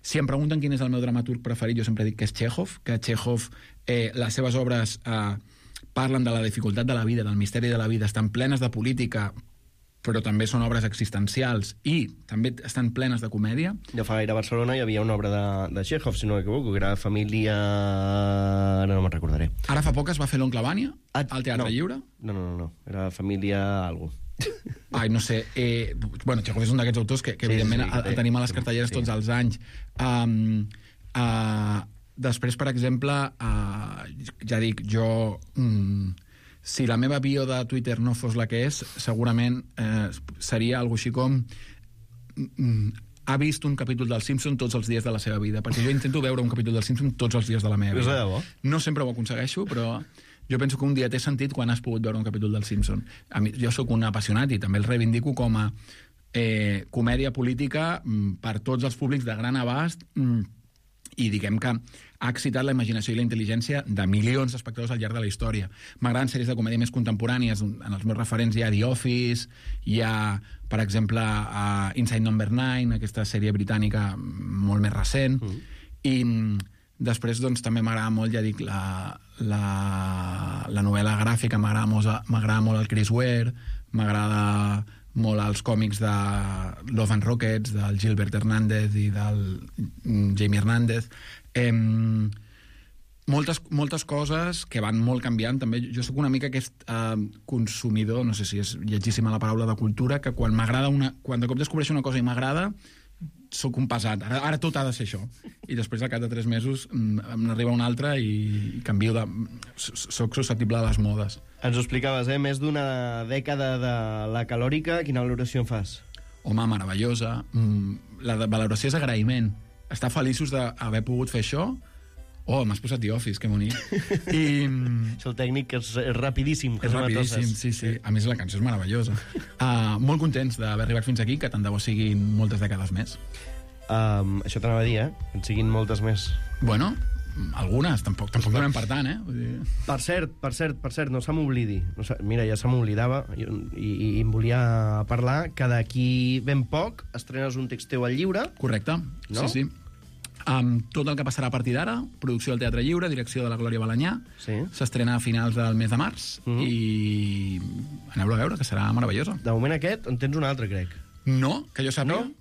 Si em pregunten quin és el meu dramaturg preferit, jo sempre dic que és Txékhov, que Txékhov, les seves obres parlen de la dificultat de la vida, del misteri de la vida, estan plenes de política, però també són obres existencials i també estan plenes de comèdia. Ja fa gaire a Barcelona hi havia una obra de Txékhov, si no m'equivoco, que era Família... No me'n recordaré. Ara fa poc es va fer l'Oncle Vània, al Teatre Lliure? No. Era Família algo. Ai, no sé. Bueno, Txékhov és un d'aquests autors que evidentment el tenim a les cartelleres tots els anys. Després, per exemple, ja dic, jo... si la meva bio de Twitter no fos la que és, segurament seria alguna així com... ha vist un capítol del Simpson tots els dies de la seva vida, perquè jo intento veure un capítol del Simpson tots els dies de la meva vida. És de debò? No sempre ho aconsegueixo, però jo penso que un dia té sentit quan has pogut veure un capítol del Simpson. Jo sóc un apassionat i també el reivindico com a comèdia política per tots els públics de gran abast, i diguem que ha excitat la imaginació i la intel·ligència de milions d'espectadors al llarg de la història. M'agraden sèries de comèdia més contemporànies. En els meus referents hi ha The Office, hi ha, per exemple, Inside Number 9, aquesta sèrie britànica molt més recent, i després doncs, també m'agrada molt, ja dic, la novel·la gràfica, m'agrada molt el Chris Ware, m'agrada molt els còmics de Love and Rockets, del Gilbert Hernández i del Jamie Hernández. Moltes coses que van molt canviant. També jo sóc una mica aquest consumidor, no sé si és lletgíssima la paraula, de cultura, que quan de cop descobreixo una cosa i m'agrada, sóc un pesat. Ara tot ha de ser això. I després, al cap de 3 mesos, n'arriba una altra i canvio de... Soc susceptible a les modes. Ens ho explicaves, més d'una dècada de la Calòrica. Quina valoració en fas? home, meravellosa. La valoració és agraïment. Estar feliços d'haver pogut fer això. Oh, m'has posat The Office, que bonic. I... És el tècnic que és rapidíssim. És rapidíssim, sí. A més, la cançó és meravellosa. Molt contents d'haver arribat fins aquí, que tant de bo siguin moltes dècades més. Això t'anava a dir, que en siguin moltes més. Bueno, algunes, tampoc donem per tant, Vull dir... Per cert, no se m'oblidi. Mira, ja se m'oblidava i em volia parlar que d'aquí ben poc estrenes un text teu al llibre. Correcte, no? Sí. Tot el que passarà a partir d'ara, producció del Teatre Lliure, direcció de la Glòria Balanyà, s'estrena a finals del mes de març i aneu-lo a veure, que serà meravellosa. De moment aquest, en tens un altre, crec. No, que jo sàpiga. No?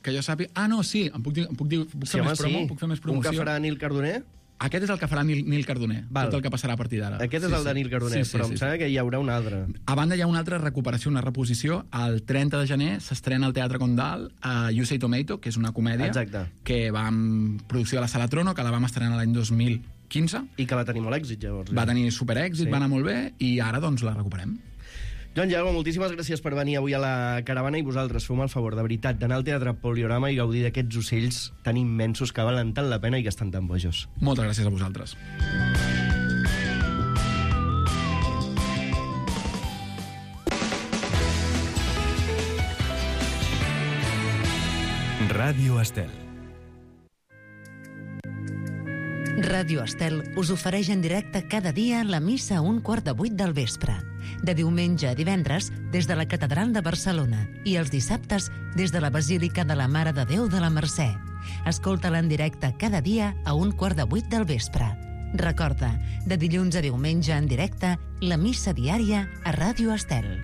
Que jo sàpiga... Ah, no, sí, puc fer més promoció. Un que farà Nil Cardoner? Aquest és el que farà Nil Cardoner, tot el que passarà a partir d'ara. Aquest és el de Nil Cardoner, però em sembla que hi haurà un altre. A banda, hi ha una altra recuperació, una reposició. El 30 de gener s'estrena al Teatre Condal a You Say Tomato, que és una comèdia que va en producció de la Sala Trono, que la vam estrenar l'any 2015. I que va tenir molt èxit, llavors. Va tenir superèxit, va anar molt bé, i ara doncs la recuperem. Joan Llago, moltíssimes gràcies per venir avui a la Caravana i vosaltres feu-me el favor, de veritat, d'anar al Teatre Poliorama i gaudir d'aquests ocells tan immensos que valen tant la pena i que estan tan bojos. Moltes gràcies a vosaltres. Ràdio Estel. Ràdio Estel us ofereix en directe cada dia la missa a 7:15 del vespre. De diumenge a divendres, des de la Catedral de Barcelona, i els dissabtes, des de la Basílica de la Mare de Déu de la Mercè. Escolta-la en directe cada dia a 7:15 del vespre. Recorda, de dilluns a diumenge en directe, la missa diària a Ràdio Estel.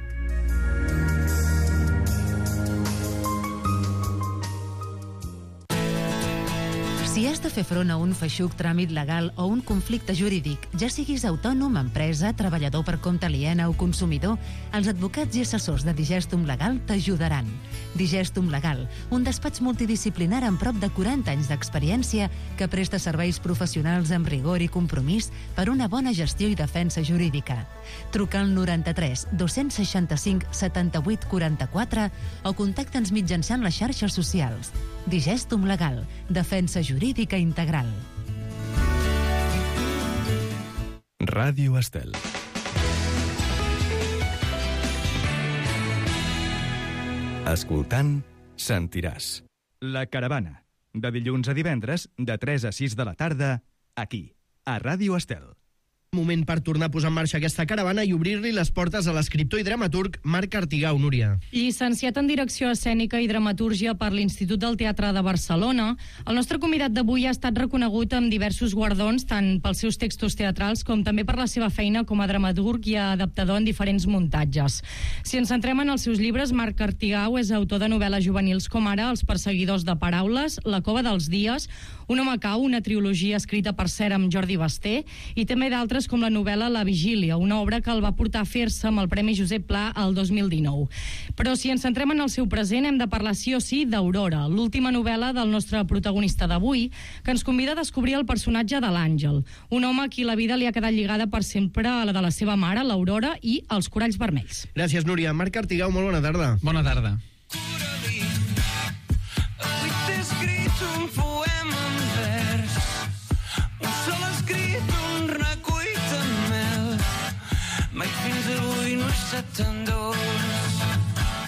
Si has de fer front a un feixuc tràmit legal o un conflicte jurídic, ja siguis autònom, empresa, treballador per compte aliena o consumidor, els advocats i assessors de Digestum Legal t'ajudaran. Digestum Legal, un despatx multidisciplinar amb prop de 40 anys d'experiència que presta serveis professionals amb rigor i compromís per una bona gestió i defensa jurídica. Truca al 93 265 78 44 o contacta'ns mitjançant les xarxes socials. Digestum Legal, defensa jurídica integral. Ràdio Estel. Escoltant, sentiràs. La Caravana, de dilluns a divendres, de 3 a 6 de la tarda, aquí, a Ràdio Estel. Moment per tornar a posar en marxa aquesta caravana i obrir-li les portes a l'escriptor i dramaturg Marc Artigau, Núria. Llicenciat en Direcció Escènica i Dramatúrgia per l'Institut del Teatre de Barcelona, el nostre convidat d'avui ha estat reconegut amb diversos guardons, tant pels seus textos teatrals com també per la seva feina com a dramaturg i adaptador en diferents muntatges. Si ens centrem en els seus llibres, Marc Artigau és autor de novel·les juvenils com ara Els perseguidors de paraules, La cova dels dies, Un home cau, una trilogia escrita per cert amb Jordi Basté, i també d'altres com la novel·la La vigília, una obra que el va portar a fer-se amb el Premi Josep Pla el 2019. Però si ens centrem en el seu present, hem de parlar sí o sí d'Aurora, l'última novel·la del nostre protagonista d'avui, que ens convida a descobrir el personatge de l'Àngel, un home a qui la vida li ha quedat lligada per sempre a la de la seva mare, l'Aurora, i els coralls vermells. Gràcies, Núria. Marc Artigau, molt bona tarda. Bona tarda. Avui t'he escrit un poema en vers, un sol escrit, un recull tan mel, mai fins avui no he estat tan dolç.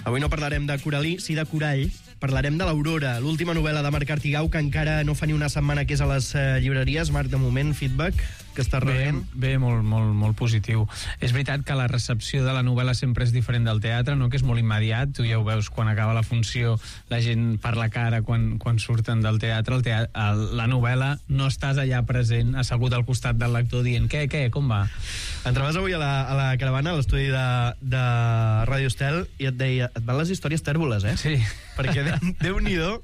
Avui no parlarem de Coralí, sí de Corall. Parlarem de l'Aurora, l'última novel·la de Marc Artigau, que encara no fa ni una setmana que és a les llibreries. Marc, de moment, feedback que estàs rebent? Bé, molt positiu. És veritat que la recepció de la novel·la sempre és diferent del teatre, no? Que és molt immediat. Tu ja ho veus quan acaba la funció, la gent per la cara quan surten del teatre. La novel·la no estàs allà present, assegut al costat del lector dient què, com va? Entraves avui a la caravana, a l'estudi de Ràdio Estel, i et deia, et van les històries tèrboles, eh? Sí. Perquè Déu-n'hi-do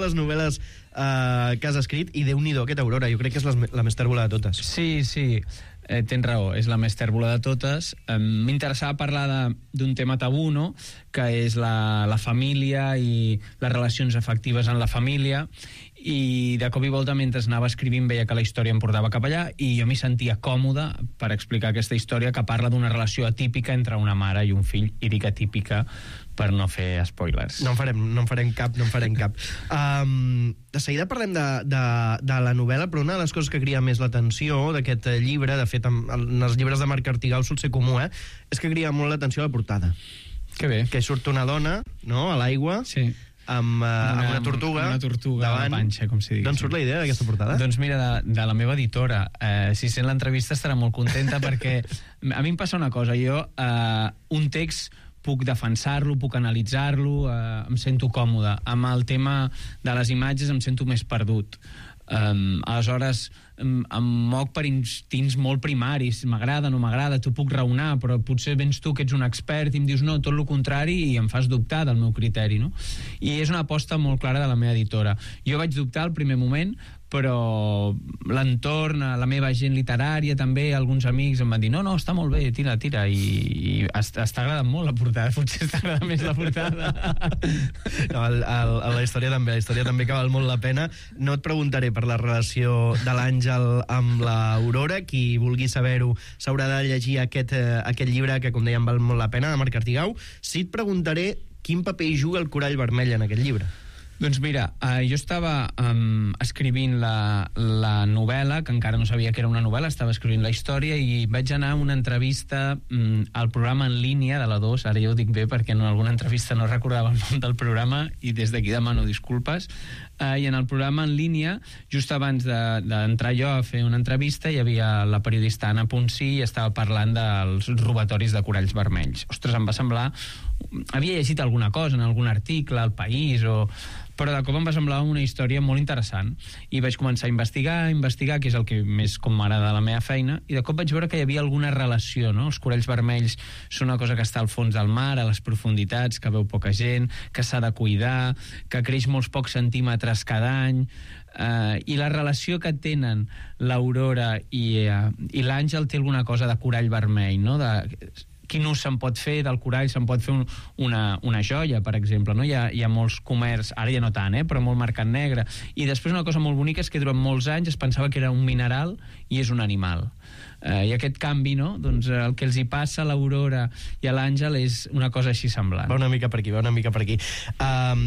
les novel·les que has escrit, i Déu-n'hi-do aquesta Aurora. Jo crec que és la més tèrbola de totes. Sí. Tens raó, és la més tèrbola de totes. M'interessava parlar d'un tema tabú, no?, que és la família i les relacions afectives en la família, i de cop i volta mentre anava escrivint veia que la història em portava cap allà i jo m'hi sentia còmode per explicar aquesta història que parla d'una relació atípica entre una mare i un fill, i dic atípica per no fer spoilers. No en farem cap. De seguida parlem de la novel·la, però una de les coses que crida més l'atenció d'aquest llibre, de fet en els llibres de Marc Artigal sol ser comú, és que crida molt l'atenció a la portada. Que bé. Que surt una dona, no?, a l'aigua, sí, amb una tortuga davant, a la panxa, com si digués. D'on surt la idea d'aquesta portada? Doncs mira, de la meva editora. Si sent l'entrevista estarà molt contenta perquè a mi em passa una cosa, jo un text puc defensar-lo, puc analitzar-lo, em sento còmode. Amb el tema de les imatges em sento més perdut. Aleshores em moc per instints molt primaris, m'agrada, no m'agrada, tu puc raonar, però potser vens tu que ets un expert i em dius no, tot el contrari, i em fas dubtar del meu criteri, no? I és una aposta molt clara de la meva editora. Jo vaig dubtar al primer moment, però l'entorn, la meva gent literària també, alguns amics em van dir no, està molt bé, tira, i està agradant molt la portada, potser està agradant més la portada. No, la història també que val molt la pena. No et preguntaré per la relació de l'Àngel amb l'Aurora, qui vulgui saber-ho s'haurà de llegir aquest llibre que, com dèiem, val molt la pena, de Marc Artigau. Sí et preguntaré quin paper hi juga el corall vermell en aquest llibre. Doncs mira, jo estava escrivint la novel·la, que encara no sabia que era una novel·la, estava escrivint la història i vaig anar a una entrevista al programa en línia de la 2, ara ja ho dic bé perquè en alguna entrevista no recordava el nom del programa i des d'aquí demano disculpes, i en el programa en línia, just abans d'entrar jo a fer una entrevista, hi havia la periodista Anna Ponsí i estava parlant dels robatoris de coralls vermells. Ostres, em va semblar... Havia llegit alguna cosa en algun article, al País, però de cop em va semblar una història molt interessant i vaig començar a investigar, que és el que més com m'agrada de la meva feina, i de cop vaig veure que hi havia alguna relació, no? Els coralls vermells són una cosa que està al fons del mar, a les profunditats, que veu poca gent, que s'ha de cuidar, que creix molts pocs centímetres cada any, i la relació que tenen l'Aurora i l'Àngel té alguna cosa de corall vermell, no? Quin ús se'n pot fer del corall? Se'n pot fer una joia, per exemple, no? Hi ha molts comerç, ara ja no tant, però molt mercat negre. I després una cosa molt bonica és que durant molts anys es pensava que era un mineral i és un animal. I aquest canvi, no? Doncs el que els hi passa a l'Aurora i a l'Àngel és una cosa així semblant. Va una mica per aquí.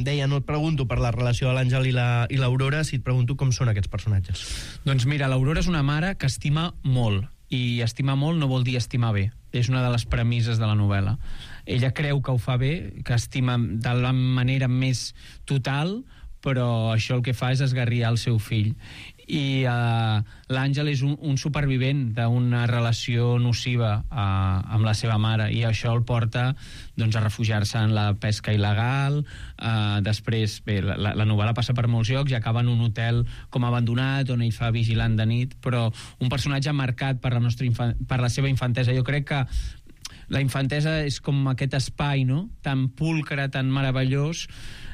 Deia, no et pregunto per la relació de l'Àngel i l'Aurora, si et pregunto com són aquests personatges. Doncs mira, l'Aurora és una mare que estima molt, i estimar molt no vol dir estimar bé. És una de les premisses de la novel·la. Ella creu que ho fa bé, que estima de la manera més total, però això el que fa és esgarriar el seu fill. I l'Àngel és un supervivent d'una relació nociva amb la seva mare, i això el porta doncs, a refugiar-se en la pesca il·legal. Després, bé, la novel·la passa per molts llocs i acaba en un hotel com abandonat on ell fa vigilant de nit, però un personatge marcat per la seva infantesa. Jo crec que la infantesa és com aquest espai, no?, tan pulcre, tan meravellós,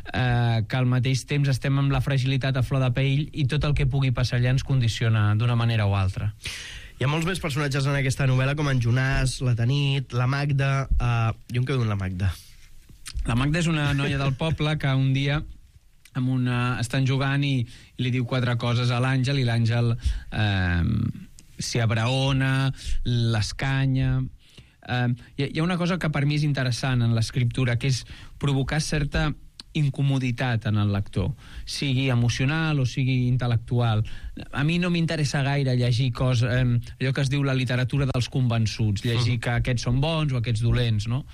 que al mateix temps estem amb la fragilitat a flor de pell i tot el que pugui passar allà ens condiciona d'una manera o altra. Hi ha molts més personatges en aquesta novel·la, com en Jonàs, la Tanit, la Magda... Jo em quedo amb la Magda. La Magda és una noia del poble que un dia estan jugant i li diu 4 coses a l'Àngel, i l'Àngel s'hi abraona, l'escanya... Hi ha una cosa que per mi és interessant en l'escriptura, que és provocar certa incomoditat en el lector, sigui emocional o sigui intel·lectual. A mi no m'interessa gaire llegir coses, allò que es diu la literatura dels convençuts, llegir que aquests són bons o aquests dolents, no?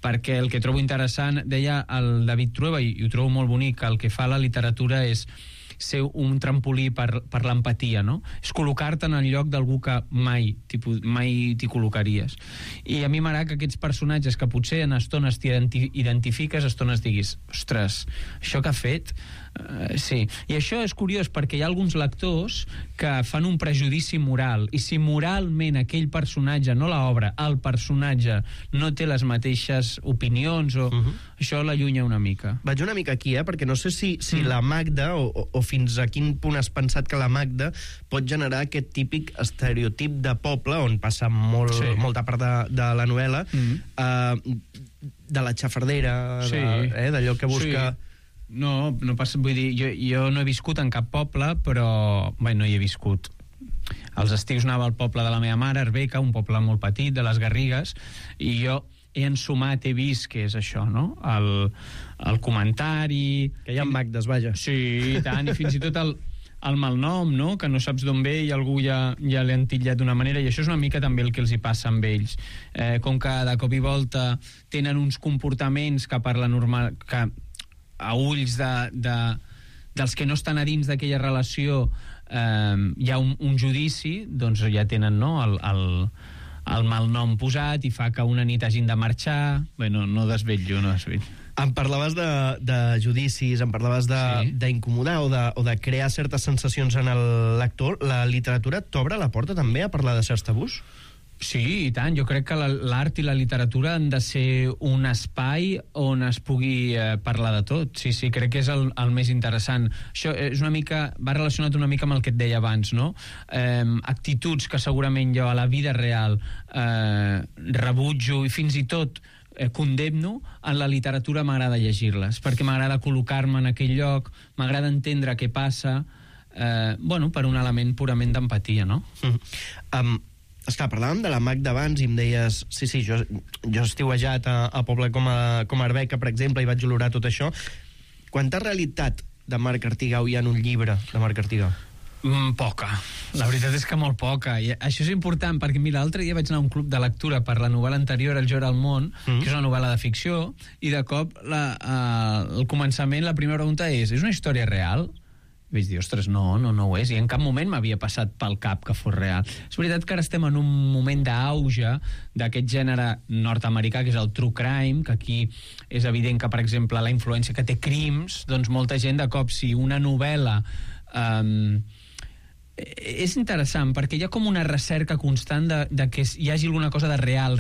Perquè el que trobo interessant, deia el David Trueba, i ho trobo molt bonic, el que fa la literatura és ser un trampolí per l'empatia, no? És col·locar-te en el lloc d'algú que mai t'hi col·locaries. I a mi m'agrada que aquests personatges que potser en estones t'identifiques, estones diguis, ostres, això que ha fet... sí. I això és curiós perquè hi ha alguns lectors que fan un prejudici moral, i si moralment aquell personatge, no l'obra, el personatge no té les mateixes opinions, això l'allunya una mica. Vaig una mica aquí, perquè no sé si la Magda, o fins a quin punt has pensat que la Magda pot generar aquest típic estereotip de poble, on passa molta part de la novel·la, de la xafardera, d'allò que busca... No passa, vull dir, jo no he viscut en cap poble, però bé, no hi he viscut. Els estius anava al poble de la meva mare, Arbeca, un poble molt petit, de les Garrigues, i jo he ensumat, he vist què és això, no? El comentari... Que hi ha Magdes, vaja. Sí, i tant, i fins i tot el malnom, no? Que no saps d'on ve i algú ja l'ha entillat d'una manera, i això és una mica també el que els hi passa amb ells. Com que de cop i volta tenen uns comportaments que per la normal... que a ulls dels que no estan a dins d'aquella relació hi ha un judici, doncs ja tenen, no?, el malnom posat i fa que una nit hagin de marxar. Bé, no desvetllo. Em parlaves de judicis, em parlaves d'incomodar o de crear certes sensacions en el lector. La literatura t'obre la porta també a parlar de certs tabús? Sí, i tant. Jo crec que l'art i la literatura han de ser un espai on es pugui parlar de tot. Sí, crec que és el més interessant. Això és una mica, va relacionat una mica amb el que et deia abans, no? Actituds que segurament jo a la vida real rebutjo i fins i tot condemno, en la literatura m'agrada llegir-les, perquè m'agrada col·locar-me en aquell lloc, m'agrada entendre què passa, per un element purament d'empatia, no? Esclar, parlàvem de la Magda abans i em deies, sí, jo he estiuejat a poble com Arbeca, per exemple, i vaig olorar tot això. Quanta realitat de Marc Artigau hi ha en un llibre de Marc Artigau? Poca. La veritat és que molt poca. I això és important, perquè mira, l'altre dia vaig anar a un club de lectura per la novel·la anterior, El Joc al món, que és una novel·la de ficció, i de cop al començament la primera pregunta és una història real? I vaig dir, ostres, no ho és, i en cap moment m'havia passat pel cap que fos real. És veritat que ara estem en un moment d'auge d'aquest gènere nord-americà, que és el true crime, que aquí és evident que, per exemple, la influència que té Crims, doncs molta gent de cop, si una novel·la... és interessant, perquè hi ha com una recerca constant de que hi hagi alguna cosa de real,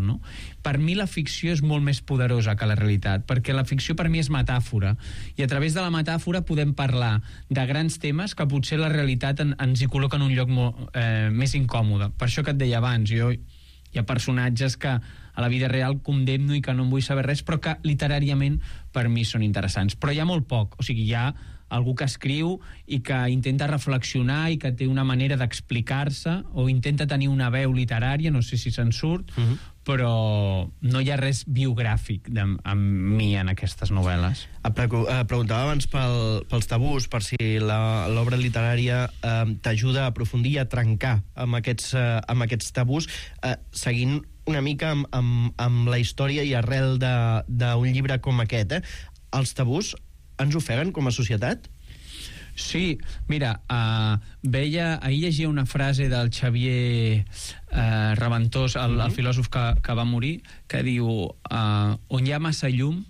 no? Per mi la ficció és molt més poderosa que la realitat, perquè la ficció per mi és metàfora, i a través de la metàfora podem parlar de grans temes que potser la realitat ens hi col·loca en un lloc més incòmode. Per això que et deia abans, hi ha personatges que a la vida real condemno i que no en vull saber res, però que literàriament per mi són interessants. Però hi ha molt poc, o sigui, hi ha algú que escriu i que intenta reflexionar i que té una manera d'explicar-se o intenta tenir una veu literària, no sé si se'n surt, però no hi ha res biogràfic amb mi en aquestes novel·les. Preguntava abans pels tabús, per si l'obra literària t'ajuda a aprofundir i a trencar amb aquests tabús, seguint una mica amb la història i arrel d'un llibre com aquest. Els tabús ens ofeguen com a societat? Sí, mira, ahir llegia una frase del Xavier Reventós, el filòsof que va morir, que diu, on hi ha massa llum,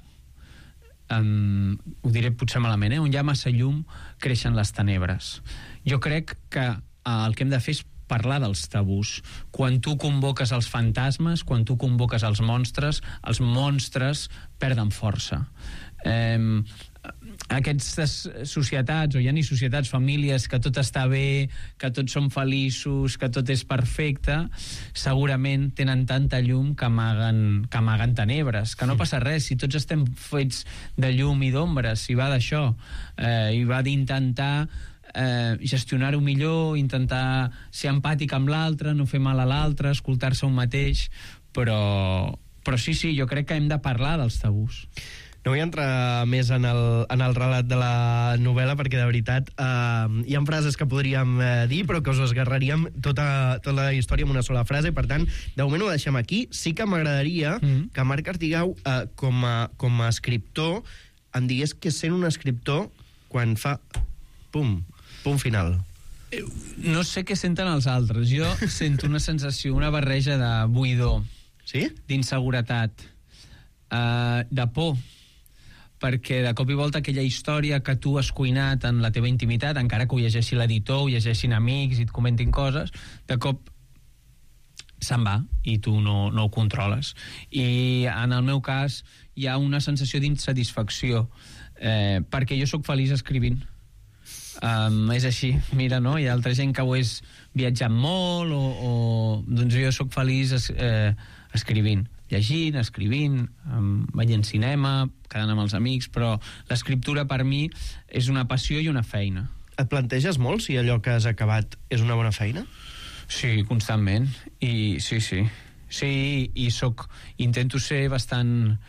ho diré potser malament, on hi ha massa llum creixen les tenebres. Jo crec que el que hem de fer és parlar dels tabús. Quan tu convoques els fantasmes, quan tu convoques els monstres perden força. Aquestes societats, o ja ni societats, famílies, que tot està bé, que tots són feliços, que tot és perfecte, segurament tenen tanta llum que amaguen tenebres, que no passa res, si tots estem fets de llum i d'ombres, si va d'això, i va d'intentar gestionar-ho millor, intentar ser empàtic amb l'altre, no fer mal a l'altre, escoltar-se un mateix, però sí, jo crec que hem de parlar dels tabús. No vull entrar més en el relat de la novel·la, perquè de veritat hi ha frases que podríem dir, però que us esgarraríem tota la història en una sola frase. Per tant, de moment ho deixem aquí. Sí que m'agradaria que Marc Artigau, com a escriptor, em digués que sent un escriptor quan fa punt final. No sé què senten els altres. Jo sento una sensació, una barreja de buidor, sí? D'inseguretat, de por, perquè de cop i volta aquella història que tu has cuinat en la teva intimitat, encara que ho llegeixi l'editor, ho llegeixin amics i et comentin coses, de cop se'n va i tu no ho controles. I en el meu cas hi ha una sensació d'insatisfacció, perquè jo sóc feliç escrivint. És així, mira, no? Hi ha altra gent que ho és viatjant molt doncs jo sóc feliç escrivint. llegint, escrivint, veient cinema, quedant amb els amics, però l'escriptura per mi és una passió i una feina. Et planteges molt si allò que has acabat és una bona feina? Sí, constantment. I sí. Sí, i intento ser bastant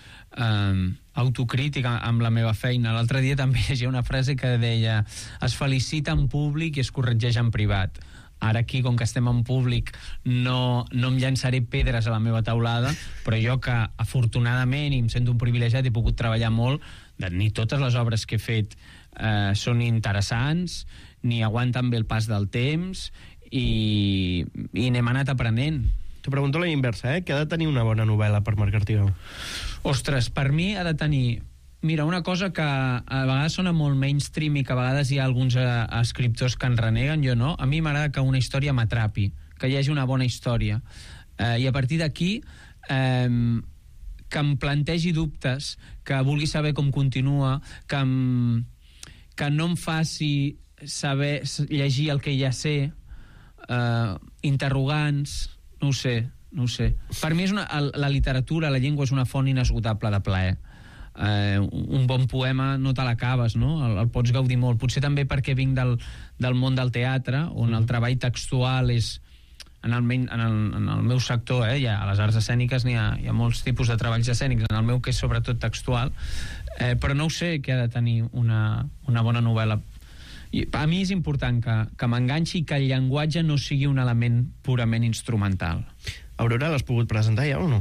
autocrític amb la meva feina. L'altre dia també llegia una frase que deia: es felicita en públic i es corregeix en privat. Ara aquí, com que estem en públic, no em llançaré pedres a la meva taulada, però jo que, afortunadament, i em sento un privilegiat, he pogut treballar molt, ni totes les obres que he fet són interessants, ni aguanten bé el pas del temps, i n'hem anat aprenent. T'ho pregunto a la inversa, Què ha de tenir una bona novel·la per marcar-t'hi veu? Ostres, per mi ha de tenir... Mira, una cosa que a vegades sona molt mainstream i que a vegades hi ha alguns escriptors que en reneguen, jo no. A mi m'agrada que una història m'atrapi, que hi hagi una bona història. I a partir d'aquí, que em plantegi dubtes, que vulgui saber com continua, que no em faci saber llegir el que ja sé, interrogants... No ho sé. Per mi la literatura, la llengua és una font inesgotable de plaer. Un bon poema no te l'acabes, no? El pots gaudir molt. Potser també perquè vinc del món del teatre, on el treball textual és... En el meu sector, a les arts escèniques hi ha molts tipus de treballs escènics, en el meu que és sobretot textual, però no ho sé què ha de tenir una bona novel·la. I a mi és important que m'enganxi i que el llenguatge no sigui un element purament instrumental. Aurora, l'has pogut presentar ja o no?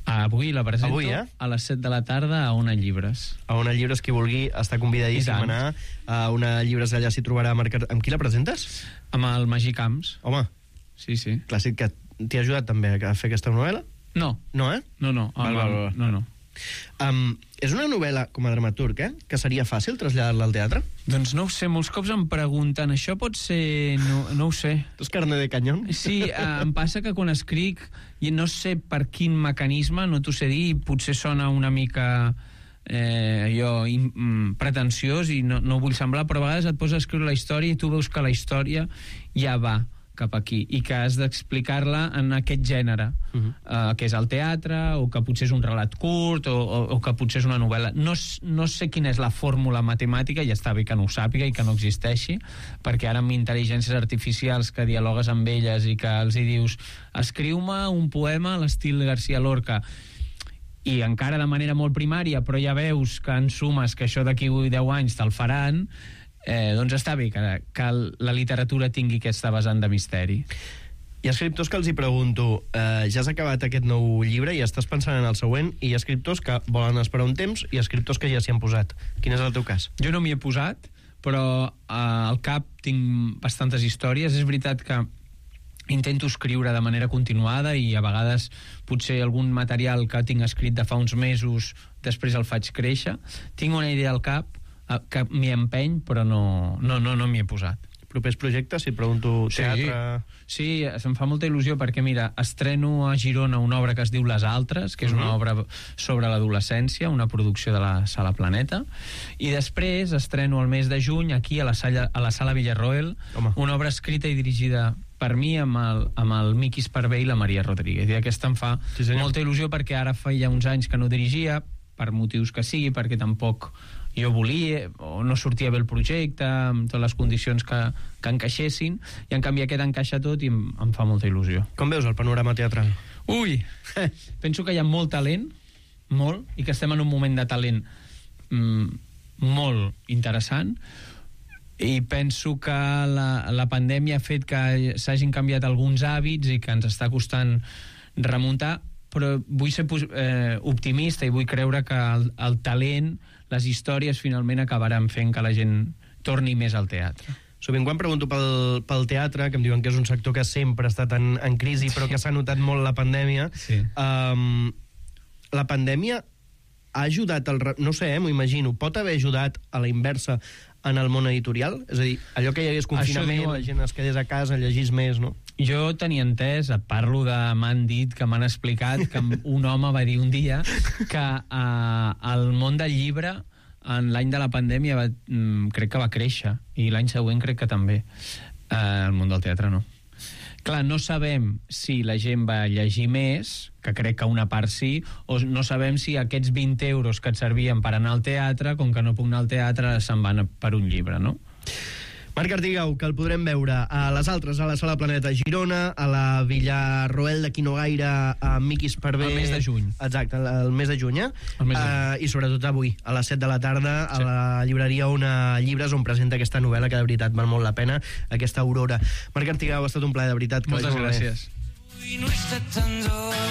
Avui la presento a les 7 de la tarda a Ona Llibres. A Ona Llibres, qui vulgui, està convidadíssim a anar. A Ona Llibres allà s'hi trobarà marcat. Amb qui la presentes? Amb el Magí Camps. Home. Sí. Clàssic, que t'hi ha ajudat també a fer aquesta novel·la? No. No, No. Val. No. És una novel·la, com a dramaturg, que seria fàcil traslladar-la al teatre? Doncs no ho sé, molts cops em pregunten, això pot ser... No ho sé. Tu és carne de canyón? Sí, em passa que quan escric i no sé per quin mecanisme, no t'ho sé dir, potser sona una mica pretensiós i no vull semblar, però a vegades et poses a escriure la història i tu veus que la història ja va cap aquí, i que has d'explicar-la en aquest gènere, que és el teatre, o que potser és un relat curt, o que potser és una novel·la. No sé quina és la fórmula matemàtica, i està bé que no ho sàpiga i que no existeixi, perquè ara amb intel·ligències artificials que dialogues amb elles i que els hi dius escriu-me un poema a l'estil García Lorca, i encara de manera molt primària, però ja veus que en sumes que això d'aquí 10 anys te'l faran, doncs està bé que la literatura tingui aquesta vessant de misteri. Hi ha escriptors que els hi pregunto, ja has acabat aquest nou llibre i estàs pensant en el següent, i hi ha escriptors que volen esperar un temps i escriptors que ja s'hi han posat. Quin és el teu cas? Jo no m'hi he posat, però al cap tinc bastantes històries. És veritat que intento escriure de manera continuada i a vegades potser algun material que tinc escrit de fa uns mesos després el faig créixer. Tinc una idea al cap que m'hi empeny, però no m'hi he posat. Propers projectes, si et pregunto teatre... Sí, em fa molta il·lusió perquè, mira, estreno a Girona una obra que es diu Les Altres, que és una obra sobre l'adolescència, una producció de la Sala Planeta, i després estreno el mes de juny aquí a la Sala Villarroel, una obra escrita i dirigida per mi amb el Miqui Esparvé i la Maria Rodríguez, i aquesta em fa molta il·lusió perquè ara feia uns anys que no dirigia, per motius que sigui, perquè tampoc jo volia, o no sortia bé el projecte, amb totes les condicions que encaixessin, i en canvi aquest encaixa tot i em fa molta il·lusió. Com veus el panorama teatral? Ui! Penso que hi ha molt talent, molt, i que estem en un moment de talent molt interessant, i penso que la pandèmia ha fet que s'hagin canviat alguns hàbits i que ens està costant remuntar, però vull ser optimista i vull creure que el talent, les històries finalment acabaran fent que la gent torni més al teatre. Sovint quan pregunto pel teatre, que em diuen que és un sector que sempre ha estat en crisi, però que s'ha notat molt la pandèmia, la pandèmia ha ajudat, no sé, m'ho imagino, pot haver ajudat a la inversa en el món editorial? És a dir, allò que hi hagués confinament, la gent es quedés a casa, llegís més, no? Jo tenia entès, et parlo de... M'han dit, que m'han explicat, que un home va dir un dia que el món del llibre en l'any de la pandèmia crec que va créixer, i l'any següent crec que també. El món del teatre no. Clar, no sabem si la gent va llegir més, que crec que una part sí, o no sabem si aquests 20 euros que et servien per anar al teatre, com que no puc anar al teatre, se'n van per un llibre, no? Marc Artigau, que el podrem veure a les altres, a la Sala Planeta Girona, a la Villarroel d'aquí no gaire, a Miquis per bé... El mes de juny. Exacte, el mes de juny, i sobretot avui, a les 7 de la tarda, a la llibreria Ona Llibres, on presenta aquesta novel·la que de veritat val molt la pena, aquesta Aurora. Marc Artigau, ha estat un plaer, de veritat. Moltes gràcies. I no he estat tan dolç.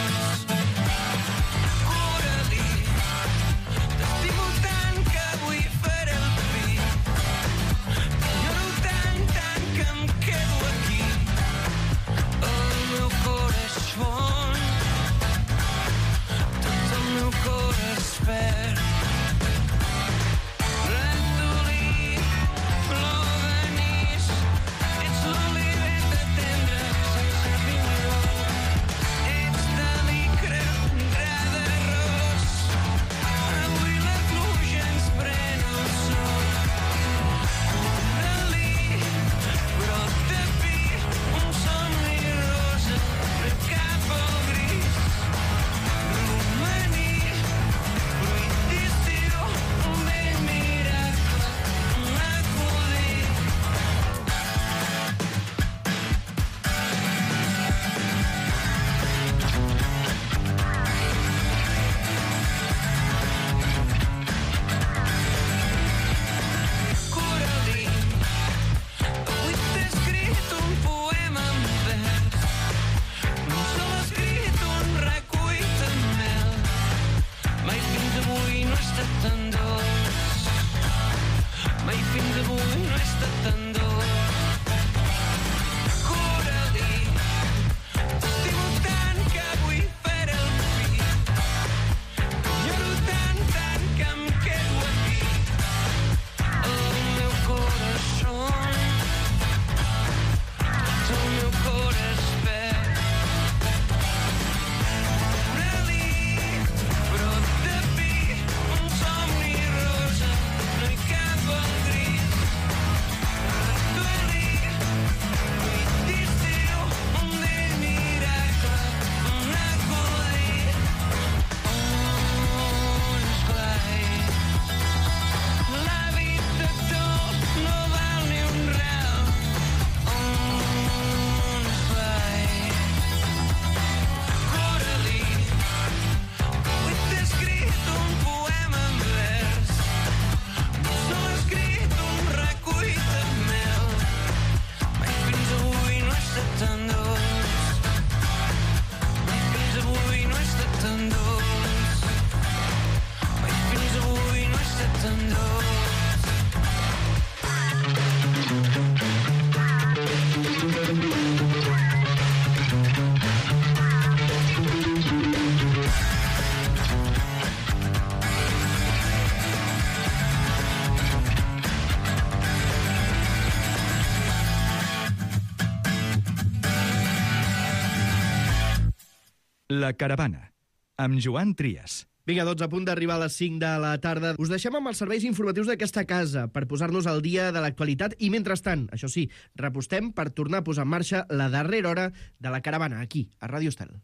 La Caravana, amb Joan Trias. Vinga, 12 a punt d'arribar a les 5 de la tarda. Us deixem amb els serveis informatius d'aquesta casa per posar-nos al dia de l'actualitat i, mentrestant, això sí, repostem per tornar a posar en marxa la darrera hora de La Caravana, aquí, a Ràdio Estel.